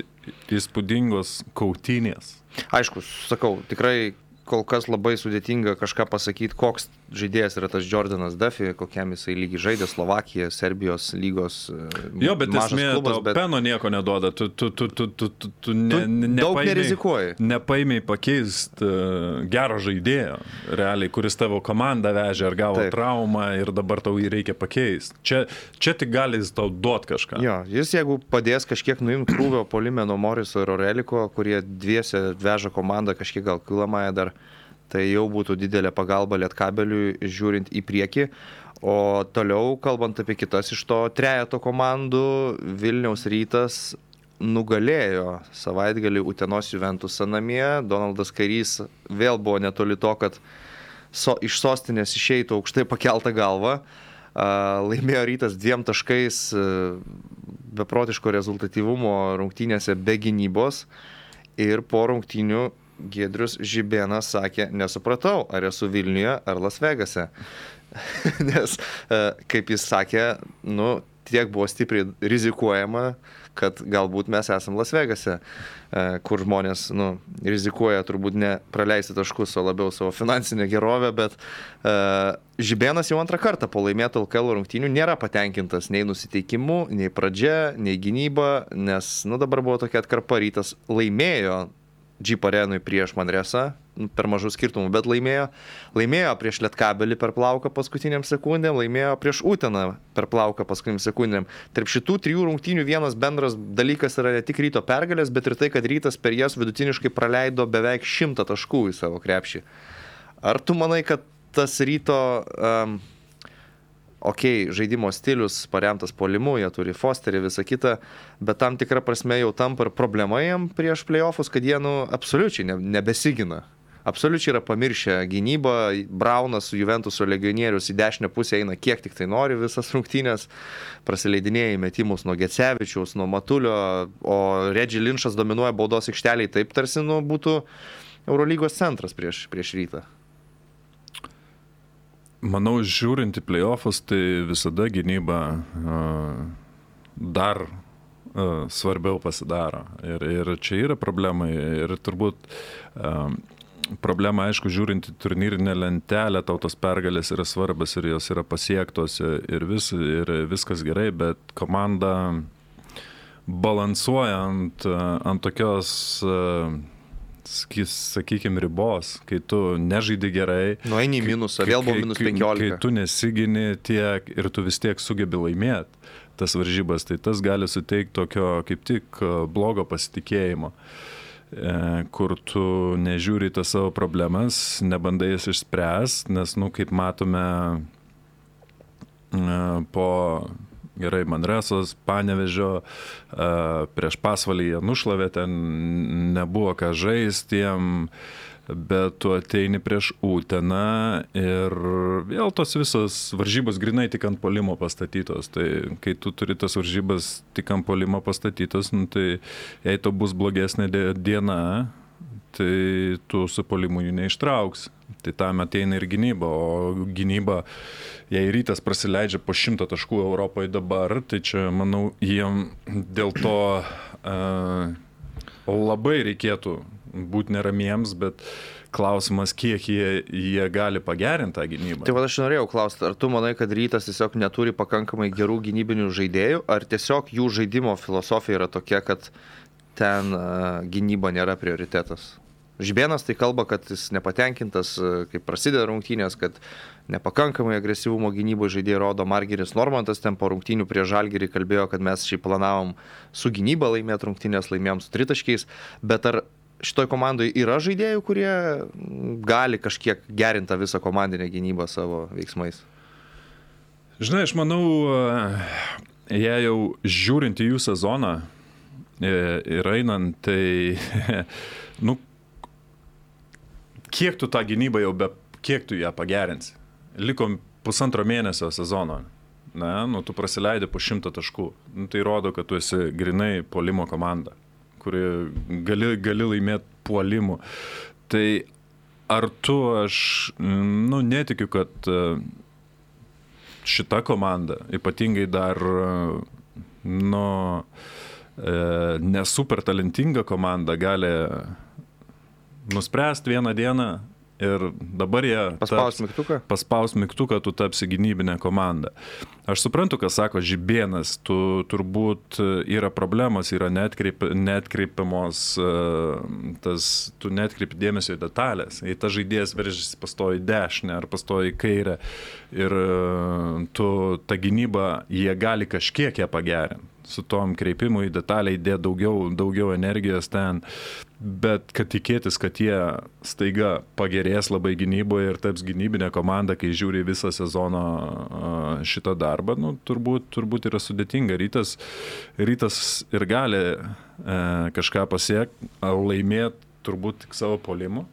įspūdingos kautynės. Aišku, sakau, tikrai kol kas labai sudėtinga kažką pasakyti, koks žaidėjas yra tas Jordanas Duffy, kokiam jisai lygiai žaidė Slovakija, Serbijos lygos jo, bet esmė, klubas, tau bet peno nieko neduoda, tu, tu, tu, tu, tu, tu, tu, ne, tu daug nerizikuoji. Nepaimiai pakeist uh, gero žaidėjo, realiai, kuris tavo komandą vežė ar gavo Taip. traumą ir dabar tau jį reikia pakeisti. Čia, čia tik gali jis tau duoti kažką. Jo, jis jeigu padės kažkiek nuimti krūvio puolime nuo Moriso ir Oreliko, kurie dviese veža komandą kažkiek gal kilamąją dar, tai jau būtų didelė pagalba Lietkabeliui žiūrint į priekį. O toliau, kalbant apie kitas iš to trejeto komandų, Vilniaus Rytas nugalėjo savaitgalį Utenos Juventusą namie. Donaldas Kairys vėl buvo netoli to, kad so, iš sostinės išeitų aukštai pakeltą galvą. Laimėjo Rytas dviem taškais beprotiško rezultatyvumo rungtynėse be gynybos. Ir po rungtynių Giedrius Žibėnas sakė, nesupratau, ar esu Vilniuje ar Las Vegase. Nes, kaip jis sakė, nu, tiek buvo stipriai rizikuojama, kad galbūt mes esam Las Vegase, kur žmonės nu, rizikuoja turbūt ne praleisti taškus, o labiau savo finansinę gerovę, bet uh, Žibėnas jau antrą kartą po laimėtų L K L rungtynių nėra patenkintas nei nusiteikimu, nei pradžia, nei gynyba, nes nu, dabar buvo tokia atkarpa, Rytas laimėjo Jeep Arenui prieš Manresą, per mažų skirtumų, bet laimėjo, laimėjo prieš Lietkabelį per plauką paskutiniam sekundėm, laimėjo prieš Uteną per plauką paskutiniam sekundėm. Tarp šitų trijų rungtynių vienas bendras dalykas yra ne tik Ryto pergalės, bet ir tai, kad Rytas per jas vidutiniškai praleido beveik šimtą taškų į savo krepšį. Ar tu manai, kad tas Ryto... Um, ok, žaidimo stilius paremtas puolimu, jie turi Fosterį, visą kitą, bet tam tikrą prasme jau tampa ir problema jiem prieš play-offus, kad jie nu, absoliučiai ne, nebesigina. Absoliučiai yra pamiršę gynybą, Braunas su Juventuso legionierius į dešinę pusę eina kiek tik tai nori visas rungtynės, prasileidinėja metimus nuo Gecevičiaus, nuo Matulio, o Reggie Lynchas dominuoja baudos aikšteliai, taip tarsi nu, būtų Eurolygos centras prieš, prieš Rytą. Manau, žiūrint į play-offus, tai visada gynyba uh, dar uh, svarbiau pasidaro. Ir, ir čia yra problema. Ir turbūt uh, problema, aišku, žiūrint į turnyrinę lentelę, tau tos pergalės yra svarbas ir jos yra pasiektos ir, vis, ir viskas gerai, bet komanda balansuoja ant, ant tokios... Uh, sakykime, ribos, kai tu nežaidi gerai. Nueini į minusą, vėl buvo minus penkiolika. Kai tu nesigini tiek ir tu vis tiek sugebi laimėti tas varžybas, tai tas gali suteikti tokio kaip tik blogo pasitikėjimo, kur tu nežiūri tas savo problemas, nebandai jas išspręsti, nes, nu, kaip matome po... Gerai, Manresos, Panevėžio, prieš Pasvalį jie nušlavė, ten nebuvo ką žaisti, jiem bet tu ateini prieš Uteną ir vėl tos visos varžybos grinai tik ant puolimo pastatytos. Tai kai tu turi tas varžybas tik ant puolimo pastatytos, nu, tai jei to bus blogesnė diena, tai tu su puolimu jų neištrauks. Tai tam ateina ir gynyba, o gynyba, jei Rytas prasileidžia po šimtą taškų Europoje dabar, tai čia, manau, jiem dėl to uh, labai reikėtų būti neramiems, bet klausimas, kiek jie, jie gali pagerinti tą gynybą. Tai va aš norėjau klausti, ar tu manai, kad Rytas tiesiog neturi pakankamai gerų gynybinių žaidėjų, ar tiesiog jų žaidimo filosofija yra tokia, kad ten uh, gynyba nėra prioritetas? Žibėnas tai kalba, kad jis nepatenkintas, kaip prasideda rungtynės, kad nepakankamai agresyvumo gynyboje žaidėjai rodo. Margiris Normantas ten po rungtynių prie Žalgirį kalbėjo, kad mes šiaip planavom su gynyba laimėti rungtynės, laimėjom su tritaškiais, bet ar šitoj komandoje yra žaidėjų, kurie gali kažkiek gerinti visą komandinę gynybą savo veiksmais? Žinai, aš manau, jei jau žiūrint į jų sezoną ir einant, tai nu, kiek tu tą gynybą jau be, kiek tu ją pagerinsi? Likom pusantro mėnesio sezono. Na, nu, tu prasileidai po šimtą taškų. Nu, tai rodo, kad tu esi grinai puolimo komanda, kuri gali, gali laimėti puolimu. Tai ar tu, aš, nu, netikiu, kad šita komanda, ypatingai dar, nu, nesuper talentinga komanda gali nuspręsti vieną dieną ir dabar jie paspaus mygtuką? Paspaus mygtuką, tu tapsi gynybinę komandą. Aš suprantu, ką sako Žibėnas, tu turbūt yra problemos, yra neatkreip, neatkreipiamos, tas, tu neatkreipi dėmesio į detalės. Jei ta žaidėjas veržiasi pastoji dešinę ar pastoji kairę ir tu tą gynybą, jie gali kažkiek ją pagerinti. Su tom kreipimu į detalę įdėti daugiau, daugiau energijos ten, bet kad tikėtis, kad jie staiga pagerės labai gynyboje ir taps gynybinė komanda, kai žiūri visą sezono šitą darbą, nu, turbūt, turbūt yra sudėtinga. Rytas, rytas ir gali e, kažką pasiekti, laimėti turbūt tik savo puolimu.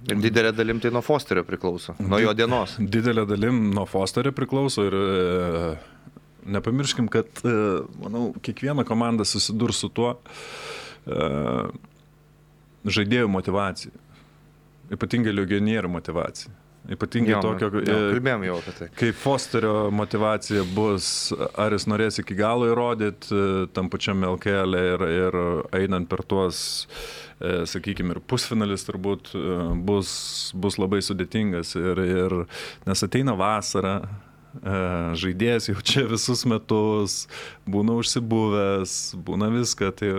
Ir didelė dalim tai nuo Fosterio priklauso, nuo jo dienos. Didelė dalim nuo Fosterio priklauso ir e, nepamirškim, kad, manau, kiekviena komanda susidurs su tuo uh, žaidėjų motivacija. Ypatingai legionierių motivacija. Ypatingai jo, tokio, jo, kalbėjom jau apie tai. Kai Fosterio motivacija bus, ar jis norės iki galo įrodyti tam pačiam L K L ir, ir einant per tuos, sakykime, ir pusfinalis turbūt bus, bus labai sudėtingas. Ir, ir, nes ateina vasara, žaidėjas jau čia visus metus, būna užsibuvęs, būna viską, tai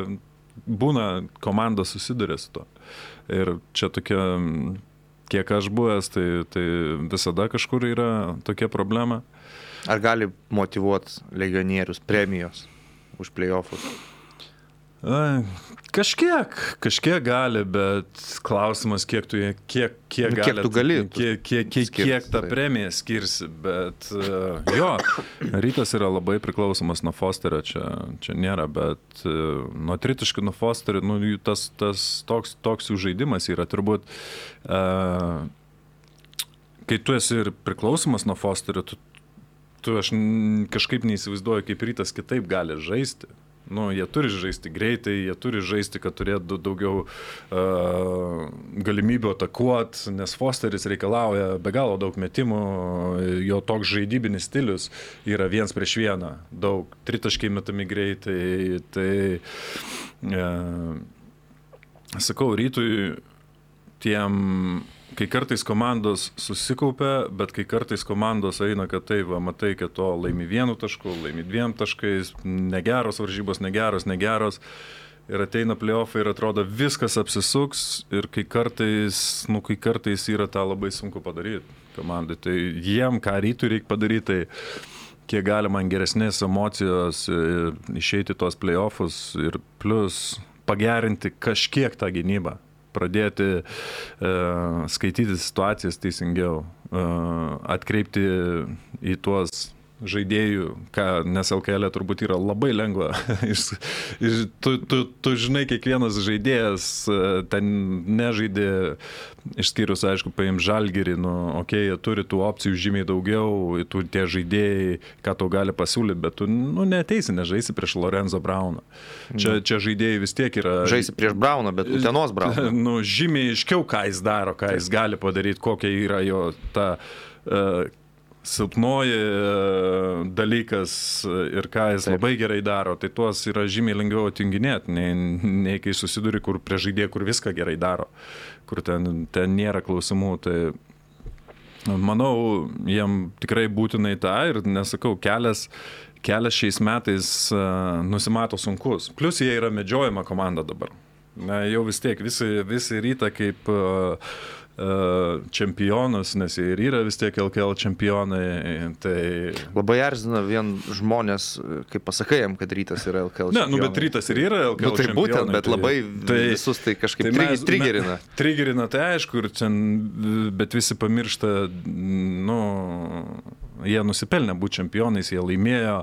būna komanda susiduria su to. Ir čia tokia, kiek aš buvęs, tai, tai visada kažkur yra tokia problema. Ar gali motyvuoti legionierius premijos už play-offus? Kažkiek, kažkiek gali, bet klausimas, kiek tu, kiek, kiek, nu, gali, kiek tu gali, kiek, kiek, kiek, skirsi, kiek tą premiją skirsi, bet jo, Rytas yra labai priklausomas nuo Fosterio, čia, čia nėra, bet nuo tritaškių nuo Fosterio, nu, tas, tas toks, toks jų žaidimas yra, turbūt, uh, kai tu esi ir priklausomas nuo Fosterio, tu, tu aš kažkaip neįsivaizduoju, kaip Rytas kitaip gali žaisti. Nu, jie turi žaisti greitai, jie turi žaisti, kad turėtų daugiau uh, galimybių atakuoti, nes Fosteris reikalauja be galo daug metimų, jo toks žaidybinis stilius yra viens prieš vieną, daug tritaškiai metami greitai, tai uh, sakau, Rytui tiem, kai kartais komandos susikaupia, bet kai kartais komandos eina, kad tai, va, matai, kad to laimi vienu tašku, laimi dviem taškais, negeros varžybos, negeros, negeros, ir ateina play-offai ir atrodo viskas apsisuks, ir kai kartais, nu, kai kartais yra tą labai sunku padaryti komandai. Tai jiem, ką Rytui reikia padaryti, tai kiek galima geresnės emocijos išeiti tos play-offus ir plus pagerinti kažkiek tą gynybą. Pradėti uh, skaityti situacijas teisingiau, uh, atkreipti į tuos žaidėjų, ką, nes L K L turbūt yra labai lengva. tu, tu, tu žinai, kiekvienas žaidėjas ten nežaidė, išskyrus, aišku, paim Žalgirį, nu, okei, okay, jie turi tų opcijų žymiai daugiau, tu tie žaidėjai, ką tau gali pasiūlyti, bet tu, nu, neteisi, nežaisi prieš Lorenzo Brauną. Čia, čia žaidėjai vis tiek yra... Žaisi prieš Brauną, bet Utenos Brauną. Nu, žymiai aiškiau, ką jis daro, ką jis gali padaryti, kokia yra jo ta... Uh, silpnoji dalykas ir ką jis Taip. labai gerai daro, tai tuos yra žymiai lengviau atinginėti, nei, nei kai susiduri, kur prie žaidėjų, kur viską gerai daro, kur ten, ten nėra klausimų. Tai manau, jiem tikrai būtinai tą ir nesakau, kelias, kelias šiais metais uh, nusimato sunkus. Plius jie yra medžiojama komanda dabar. Na, jau vis tiek visi, visi ryta kaip uh, čempionus, nes jie ir yra vis tiek L K L čempionai. Tai... Labai erzina vien žmonės, kaip pasakai jam, kad Rytas yra L K L čempionai. Ne, nu, bet Rytas ir yra L K L nu, tai čempionai. Būtent, bet labai tai, visus tai kažkaip tai mes, trigerina. Me, trigerina, tai aišku, ir ten, bet visi pamiršta, nu, jie nusipelnė būti čempionais, jie laimėjo,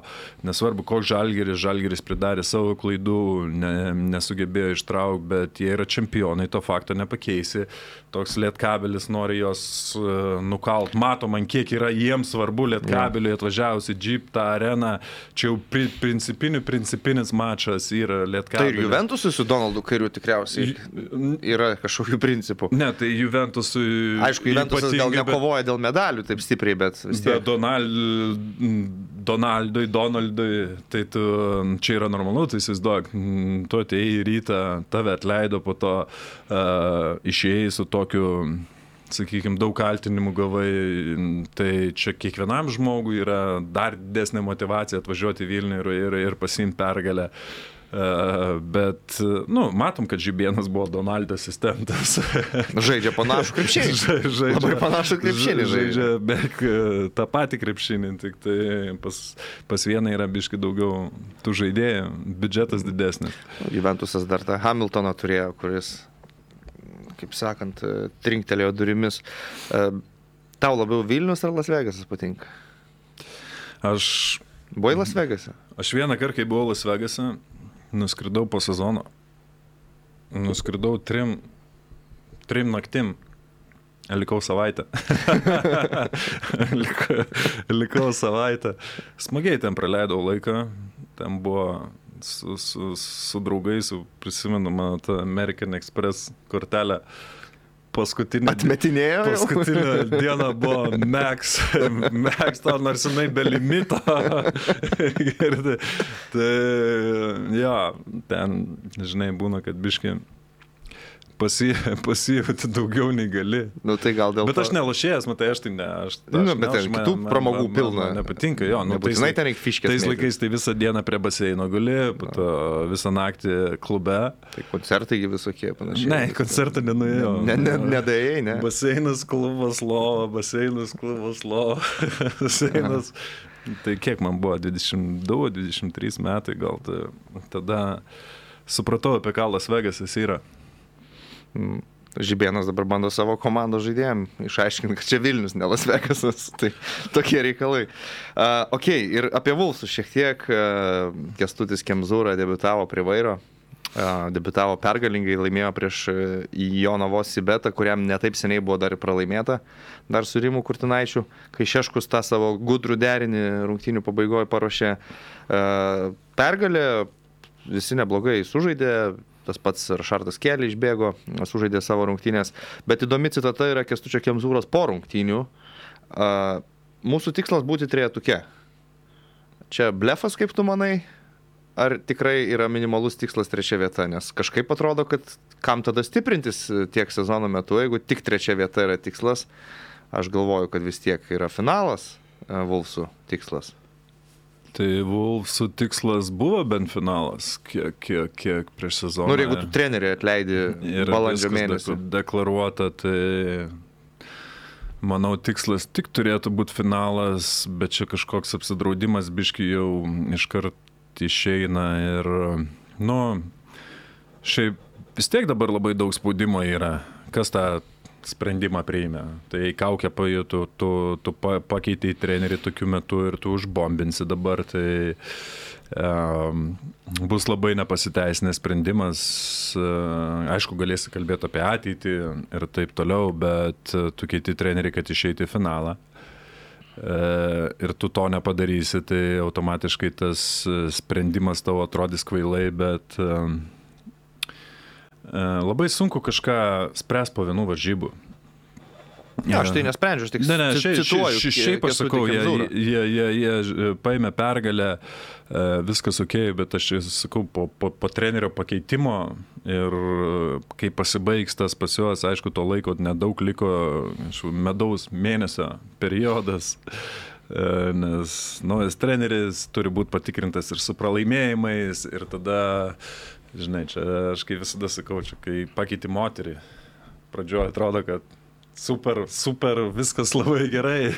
nesvarbu, koks Žalgiris, Žalgiris pridarė savo klaidų, ne, nesugebėjo ištraukti, bet jie yra čempionai, to fakto nepakeisi. Toks Lietkabelis nori jos uh, nukalt. Matom, man kiek yra jiems svarbu Lietkabeliui atvažiavusi Jeep tą areną. Čia jau pri, principinių, principinis mačas yra Lietkabelis. Tai ir Juventusui su Donaldu Kairiu tikriausiai yra kažkokių principų. Ne, tai Juventusui... Aišku, Juventusas gal nekovoja bet, dėl medalių taip stipriai, bet vis tiek. Bet Donald, Donaldui, Donaldui, tai tu, čia yra normalu, tai įsivaizduok, tu atėjai į rytą, tave atleido, po to uh, išėjai su tokiu, sakykime, daug kaltinimų gavai, tai čia kiekvienam žmogui yra dar didesnė motyvacija atvažiuoti į Vilnių ir, ir, ir pasiimti pergalę. Uh, bet, nu, matom, kad Žibėnas buvo Donaldo asistentas. Žaidžia panašų krepšinį. Žaidžia, labai panašų krepšinį žaidžia. Žaidžia beveik tą patį krepšinį, tik tai pas, pas vieną yra biškai daugiau tų žaidėjų, biudžetas didesnis. Juventusas dar tą Hamiltoną turėjo, kuris, kaip sakant, trinktelėjo durimis. Uh, tau labiau Vilnius ar Las Vegasas patinka? Aš... Buvai Las Vegase? Aš vieną kartą, kai buvau Las Vegase, nuskridau po sezono. Nuskridau trim, trim naktim. Likau savaitę. likau, likau savaitę. Smagiai ten praleidau laiką. Ten buvo su, su, su draugais, prisimenu, man tą American Express kortelę. Paskutinė, atmetinėjo. Paskutinė diena buvo Max, Max to, nors jinai be limito. tai, tai, jo, ten, žinai, būna, kad biškai pasijauti daugiau nei gali. Nu, tai gal dėl bet to... aš nelošėjęs, matai, aš tai ne. Aš, nu, aš, bet ten kitų man, pramogų man, pilna. Man nepatinka, jo. Nu, nebūtinai ten reikia fiškės. Tais laikais tai visą dieną prie baseino guli, to visą naktį klube. Tai koncertai visokie panašiai. Ne, koncertą nenuėjau. Ne, ne, nedėjai, ne. Baseinas, klubas, lova, baseinas, klubas, lova. baseinas. Tai kiek man buvo, dvidešimt du dvidešimt trys metai gal. Tai, tada supratau, apie ką Las Vegasas yra. Žibėnas dabar bando savo komandos žaidėjim išaiškinti, kad čia Vilnius, ne Las Vegasas. Tai tokie reikalai. Uh, ok, ir apie Vulfsus šiek tiek. Uh, Kęstutis Kemzūra debiutavo prie vairo. Uh, debiutavo pergalingai, laimėjo prieš uh, Jonavos Sibetą, kuriam netaip seniai buvo dar pralaimėta. Dar su Rimu Kurtinaičiu, kai Šeškus tą savo gudrų derinį rungtynių pabaigoje paruošė. Uh, pergalė, visi neblogai sužaidė. Tas pats Rašardas Kelly išbėgo, sužaidė savo rungtynės. Bet įdomi citata yra Kęstučio Kemzūros po rungtynių. Uh, mūsų tikslas būti trejetuke. Čia blefas, kaip tu manai? Ar tikrai yra minimalus tikslas trečia vieta? Nes kažkaip atrodo, kad kam tada stiprintis tiek sezono metu, jeigu tik trečia vieta yra tikslas. Aš galvoju, kad vis tiek yra finalas uh, Vulfsų tikslas. Tai Vulfsų tikslas buvo bent finalas, kiek, kiek, kiek prieš sezoną. Nu, ir jeigu tu trenerį atleidi balandžio mėnesį. Deklaruota, tai manau tikslas tik turėtų būti finalas, bet čia kažkoks apsidraudimas biški jau iškart išeina ir, nu, šiaip vis tiek dabar labai daug spaudimo yra. Kas tą sprendimą priėmė. Tai kaukę pajutų, tu, tu pakeitei trenerį tokiu metu ir tu užbombinsi dabar, tai um, bus labai nepasiteisinęs sprendimas. Aišku, galėsi kalbėti apie ateitį ir taip toliau, bet tu keiti trenerį, kad išeiti į finalą. Ir tu to nepadarysi, tai automatiškai tas sprendimas tavo atrodys kvailai, bet labai sunku kažką spręs po vienų varžybų. Ja, aš tai nesprendžiu, aš tik ne, ne, šiaip, cituoju. Šiaip, šiaip aš sakau, jie, jie, jie, jie paėmė pergalę, viskas ok, bet aš sakau, po, po, po trenerio pakeitimo ir kai pasibaigs tas pas juos, aišku, to laiko nedaug liko, medaus mėnesio periodas, nes naujas treneris turi būti patikrintas ir su pralaimėjimais ir tada, žinai, čia aš kai visada sakau, čia kai pakeiti moterį, pradžioje atrodo, kad super, super, viskas labai gerai.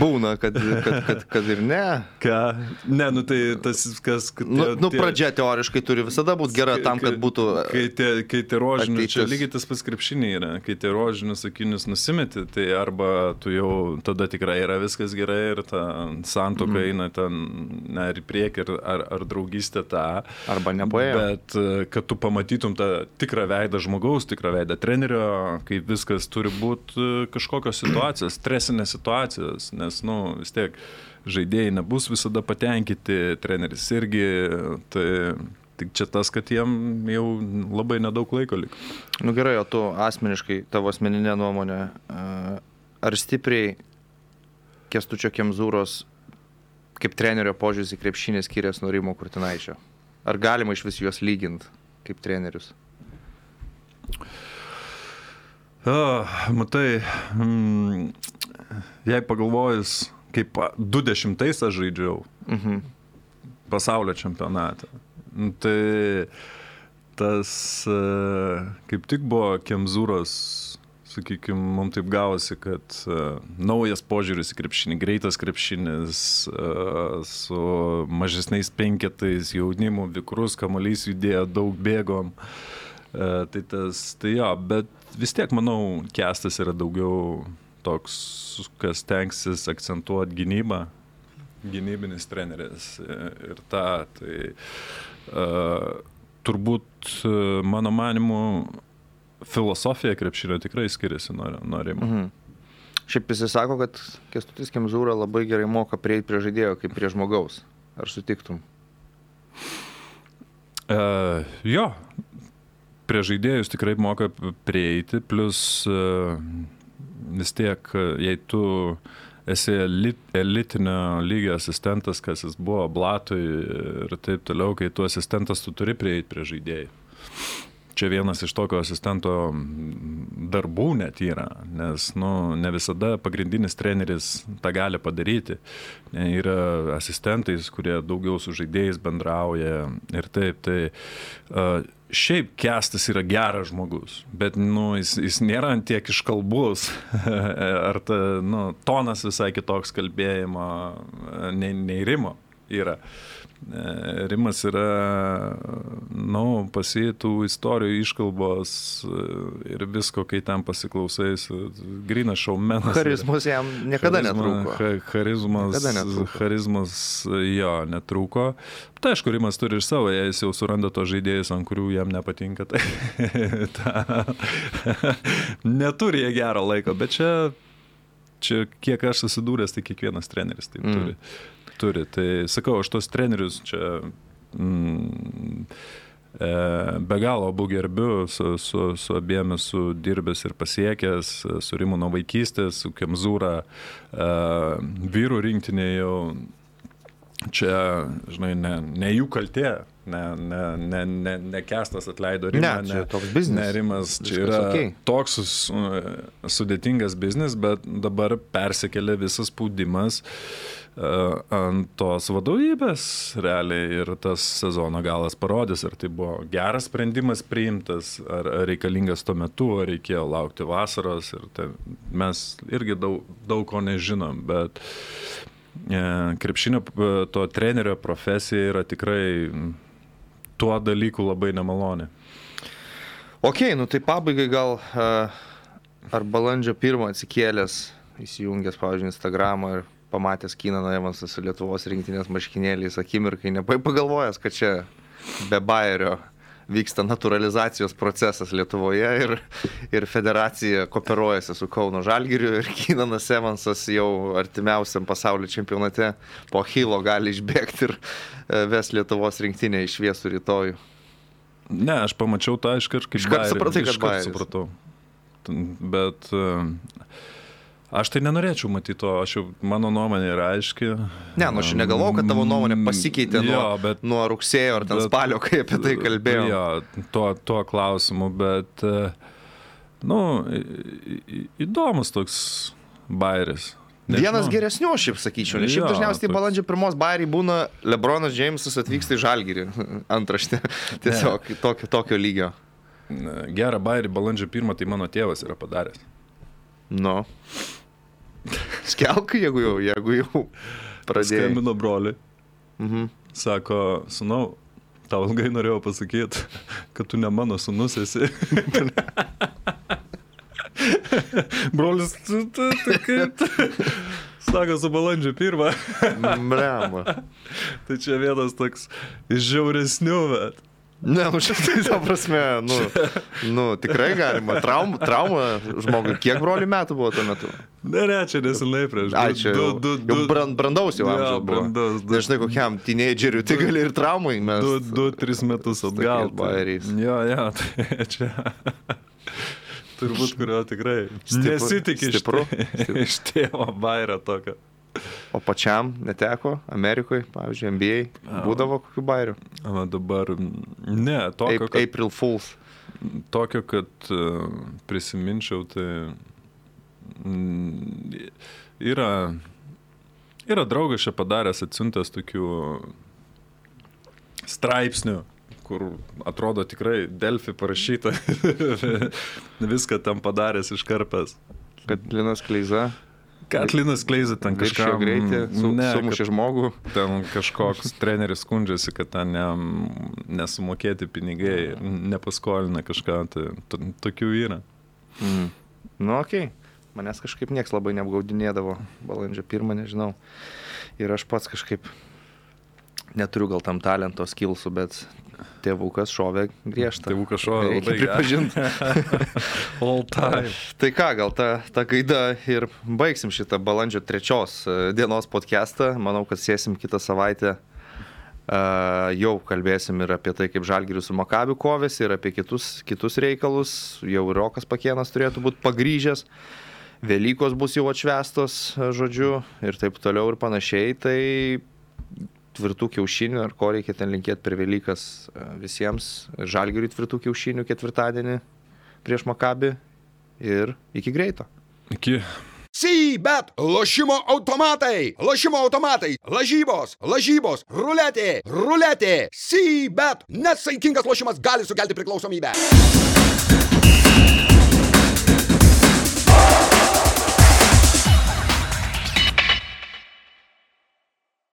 Būna, kad, kad, kad, kad ir ne. Ką? Ne, nu tai tas, kas... Kad nu, tie, nu, pradžia teoriškai turi visada būti gera tam, kad būtų... Kai tie, kai tie rožinius, ateitis. čia lygiai tas pats krepšiniai yra, kai tie rožinius akinius nusimeti, tai arba tu jau tada tikrai yra viskas gerai ir ta santuoka mm. eina ten, ne, ir į priekį, ar, ar, ar draugystė tą. Arba nepaėjo. Bet kad tu pamatytum tą tikrą veidą žmogaus, tikrą veidą trenerio, kai viskas turi būti kažkokios situacijos, stresinės situacijos, nes, nu, vis tiek žaidėjai nebus visada patenkinti, treneris irgi, tai tik čia tas, kad jiem jau labai nedaug laiko liko. Nu gerai, o tu asmeniškai, tavo asmeninė nuomonė, ar stipriai Kęstučio Kemzūros kaip trenerio požiūris į krepšinį skiriasi nuo Rimo Kurtinaičio? Ar galima iš vis juos lyginti kaip trenerius? O, matai, mm, jei pagalvojus, kaip du dešimtais aš žaidžiau mhm. pasaulio čempionatą, tai tas kaip tik buvo Kemzūros, sakykime, mums taip gavosi, kad uh, naujas požiūris į krepšinį, greitas krepšinis, uh, su mažesniais penketais, jaunimu, vikrus, kamuolys judėjo, daug bėgom. Uh, tai tas, tai jo, bet vis tiek, manau, Kęstas yra daugiau toks, kas tenksis akcentuoti gynybą, gynybinis treneris ir tą, tai uh, turbūt uh, mano manimu filosofija krepšinio tikrai skiriasi nuo, nuo Rimo. Mhm. Šiaip jis sako, kad Kęstutis Kemzūra labai gerai moka prieiti prie žaidėjo kaip prie žmogaus. Ar sutiktum? Uh, jo. Prie žaidėjus tikrai moka prieiti, plus uh, vis tiek, jei tu esi elit, elitinio lygio asistentas, kas jis buvo Blatui ir taip toliau, kai tu asistentas, tu turi prieiti prie žaidėjų. Čia vienas iš tokio asistento darbų net yra, nes nu, ne visada pagrindinis treneris tą gali padaryti. Yra asistentais, kurie daugiau su žaidėjais bendrauja ir taip. Tai, uh, šiaip Kęstas yra geras žmogus, bet nu, jis, jis nėra tiek iškalbus, ar ta, nu, tonas visai kitoks kalbėjimo, nei, nei Rimo yra. Rimas yra, nu, pasėtų istorijų iškalbos ir visko, kai ten pasiklausais, grynas šaumenas. Charizmos jam niekada Charizma, netrūko. Ha, charizmas, niekada netrūko. Charizmas, jo, netrūko. Tai aišku, Rimas turi ir savo, jei jis jau suranda to žaidėjus, ant kurių jam nepatinka, tai ta, neturi jie gero laiko, bet čia, čia kiek aš susidūręs, tai kiekvienas treneris taip mm. turi. Turi. Tai sakau, aš tos trenerius čia mm, e, be galo abu gerbiu, su, su, su abiem esu dirbęs ir pasiekęs, su Rimu nuo vaikystės, su Kemzūra, e, vyrų rinktinė jau čia, žinai, ne, ne jų kaltė, ne, ne, ne, ne, ne Kęstas atleido Rimą, ne, čia toks biznis. Ne, Rimas, čia viskas yra okay. Toks sudėtingas biznis, bet dabar persikėlė visas spaudimas ant tos vadovybės realiai ir tas sezono galas parodys, ar tai buvo geras sprendimas priimtas, ar reikalingas tuo metu, ar reikėjo laukti vasaros ir tai, mes irgi daug, daug ko nežinom, bet e, krepšinio to trenerio profesija yra tikrai tuo dalyku labai nemaloni. Ok, nu tai pabaigai gal ar balandžio pirmą atsikėlęs, įsijungęs, pavyzdžiui, Instagramą ir pamatęs Keenaną Evansą su Lietuvos rinktinės marškinėliais akimirkai, nepagalvojęs, kad čia be Bayerio vyksta naturalizacijos procesas Lietuvoje ir, ir federacija kooperuojasi su Kauno Žalgiriu ir Keenanas Evansas jau artimiausiam pasaulio čempionate po Achilo gali išbėgti ir ves Lietuvos rinktinę į šviesų rytojų. Ne, aš pamačiau tą iškart kaip Iškart supratai, kad iškart Bayeris. supratau. Bet aš tai nenorėčiau matyti to, aš jau, mano nuomonė yra aiški. Ne, nu aš negalvojau, kad tavo nuomonė pasikeitė nuo, jo, bet, nuo rugsėjo ar ten bet, spalio, kai apie tai kalbėjau. Jo, tuo, tuo klausimu, bet, nu, įdomus toks Bayeris. Vienas geresnių, šiaip sakyčiau, nes šiaip Jo, dažniausiai toks. balandžio pirmos Bayeriai būna LeBronas Jamesas atvyksta į Žalgirį, antraštė, tiesiog tokio, tokio lygio. Gerą Bayerį balandžio pirmą, tai mano tėvas yra padaręs. Nu. Skelk, jeigu jau, jeigu jau pradėjai. Skambino broliui. Mhm. Sako, sunau, tau ilgai norėjau pasakyti, kad tu ne mano sunus esi. Brolis, tu, tu, tu kaip? Sako, su balandžio pirmą. Brema. Tai čia vienas toks iš žiauresnių, bet. Ne, nu šitai, ta prasme, nu, nu, tikrai galima. Trauma, trauma žmogui. Kiek brolių metų buvo tuo metu? Ne, ne, čia nesenai prieš. Ai, čia jau, du, du, jau brand, brandaus jau Jo, amžiaus buvo. brandaus, du- Nežinai, kokiam teenageriui, tai gali ir traumai mes. Du, du, tris metus atgal. tokiais Bayeriais. Jo, jo, tai čia. Turbūt, kurio tikrai Stipru- nesitikė iš, stipru, tė- iš tėvo Bayerio tokio. O pačiam neteko Amerikoje, pavyzdžiui, N B A, būdavo kokių Bayerių? O dabar, ne, tokio, Ap- kad, April Fools. tokio, kad uh, prisiminčiau, tai mm, yra, yra draugas čia padaręs atsiuntęs tokių straipsnių, kur atrodo tikrai Delfi parašyta, viską tam padaręs iškarpęs. Kad Linas Kleiza Kad Linas Kleiza ten viršijo kažką greitį, su, ne, sumušė kad žmogų. ten kažkoks treneris skundžiasi, kad ten ne, nesumokėti pinigai, nepaskolina kažką, tai to, tokių yra. Mm. Nu, okei. Okay. Manęs kažkaip nieks labai neapgaudinėdavo balandžio pirmą, nežinau. Ir aš pats kažkaip neturiu gal tam talento, skillsų, bet tėvukas šovė griežtą. Tėvukas šovė Reikia labai pripažinti. All time. Tai ką, gal ta, ta gaida ir baigsim šitą balandžio trečios dienos podcastą. Manau, kad sėsim kitą savaitę. Uh, jau kalbėsim ir apie tai, kaip Žalgiris su Makabiu kovėsi, ir apie kitus, kitus reikalus. Jau ir Rokas Pakėnas turėtų būti pagrįžęs. Velykos bus jau atšvęstos, žodžiu, ir taip toliau ir panašiai. Tai tvirtų kiaušinių, ar ko reikia ten linkėti per Velykas visiems. Žalgiriui tvirtų kiaušinių ketvirtadienį prieš Makabį ir iki greito. Iki. C-Bet, lošimo automatai, lošimo automatai, lažybos, lažybos, ruletė, ruletė, C-Bet, nesaikingas lošimas gali sukelti priklausomybę.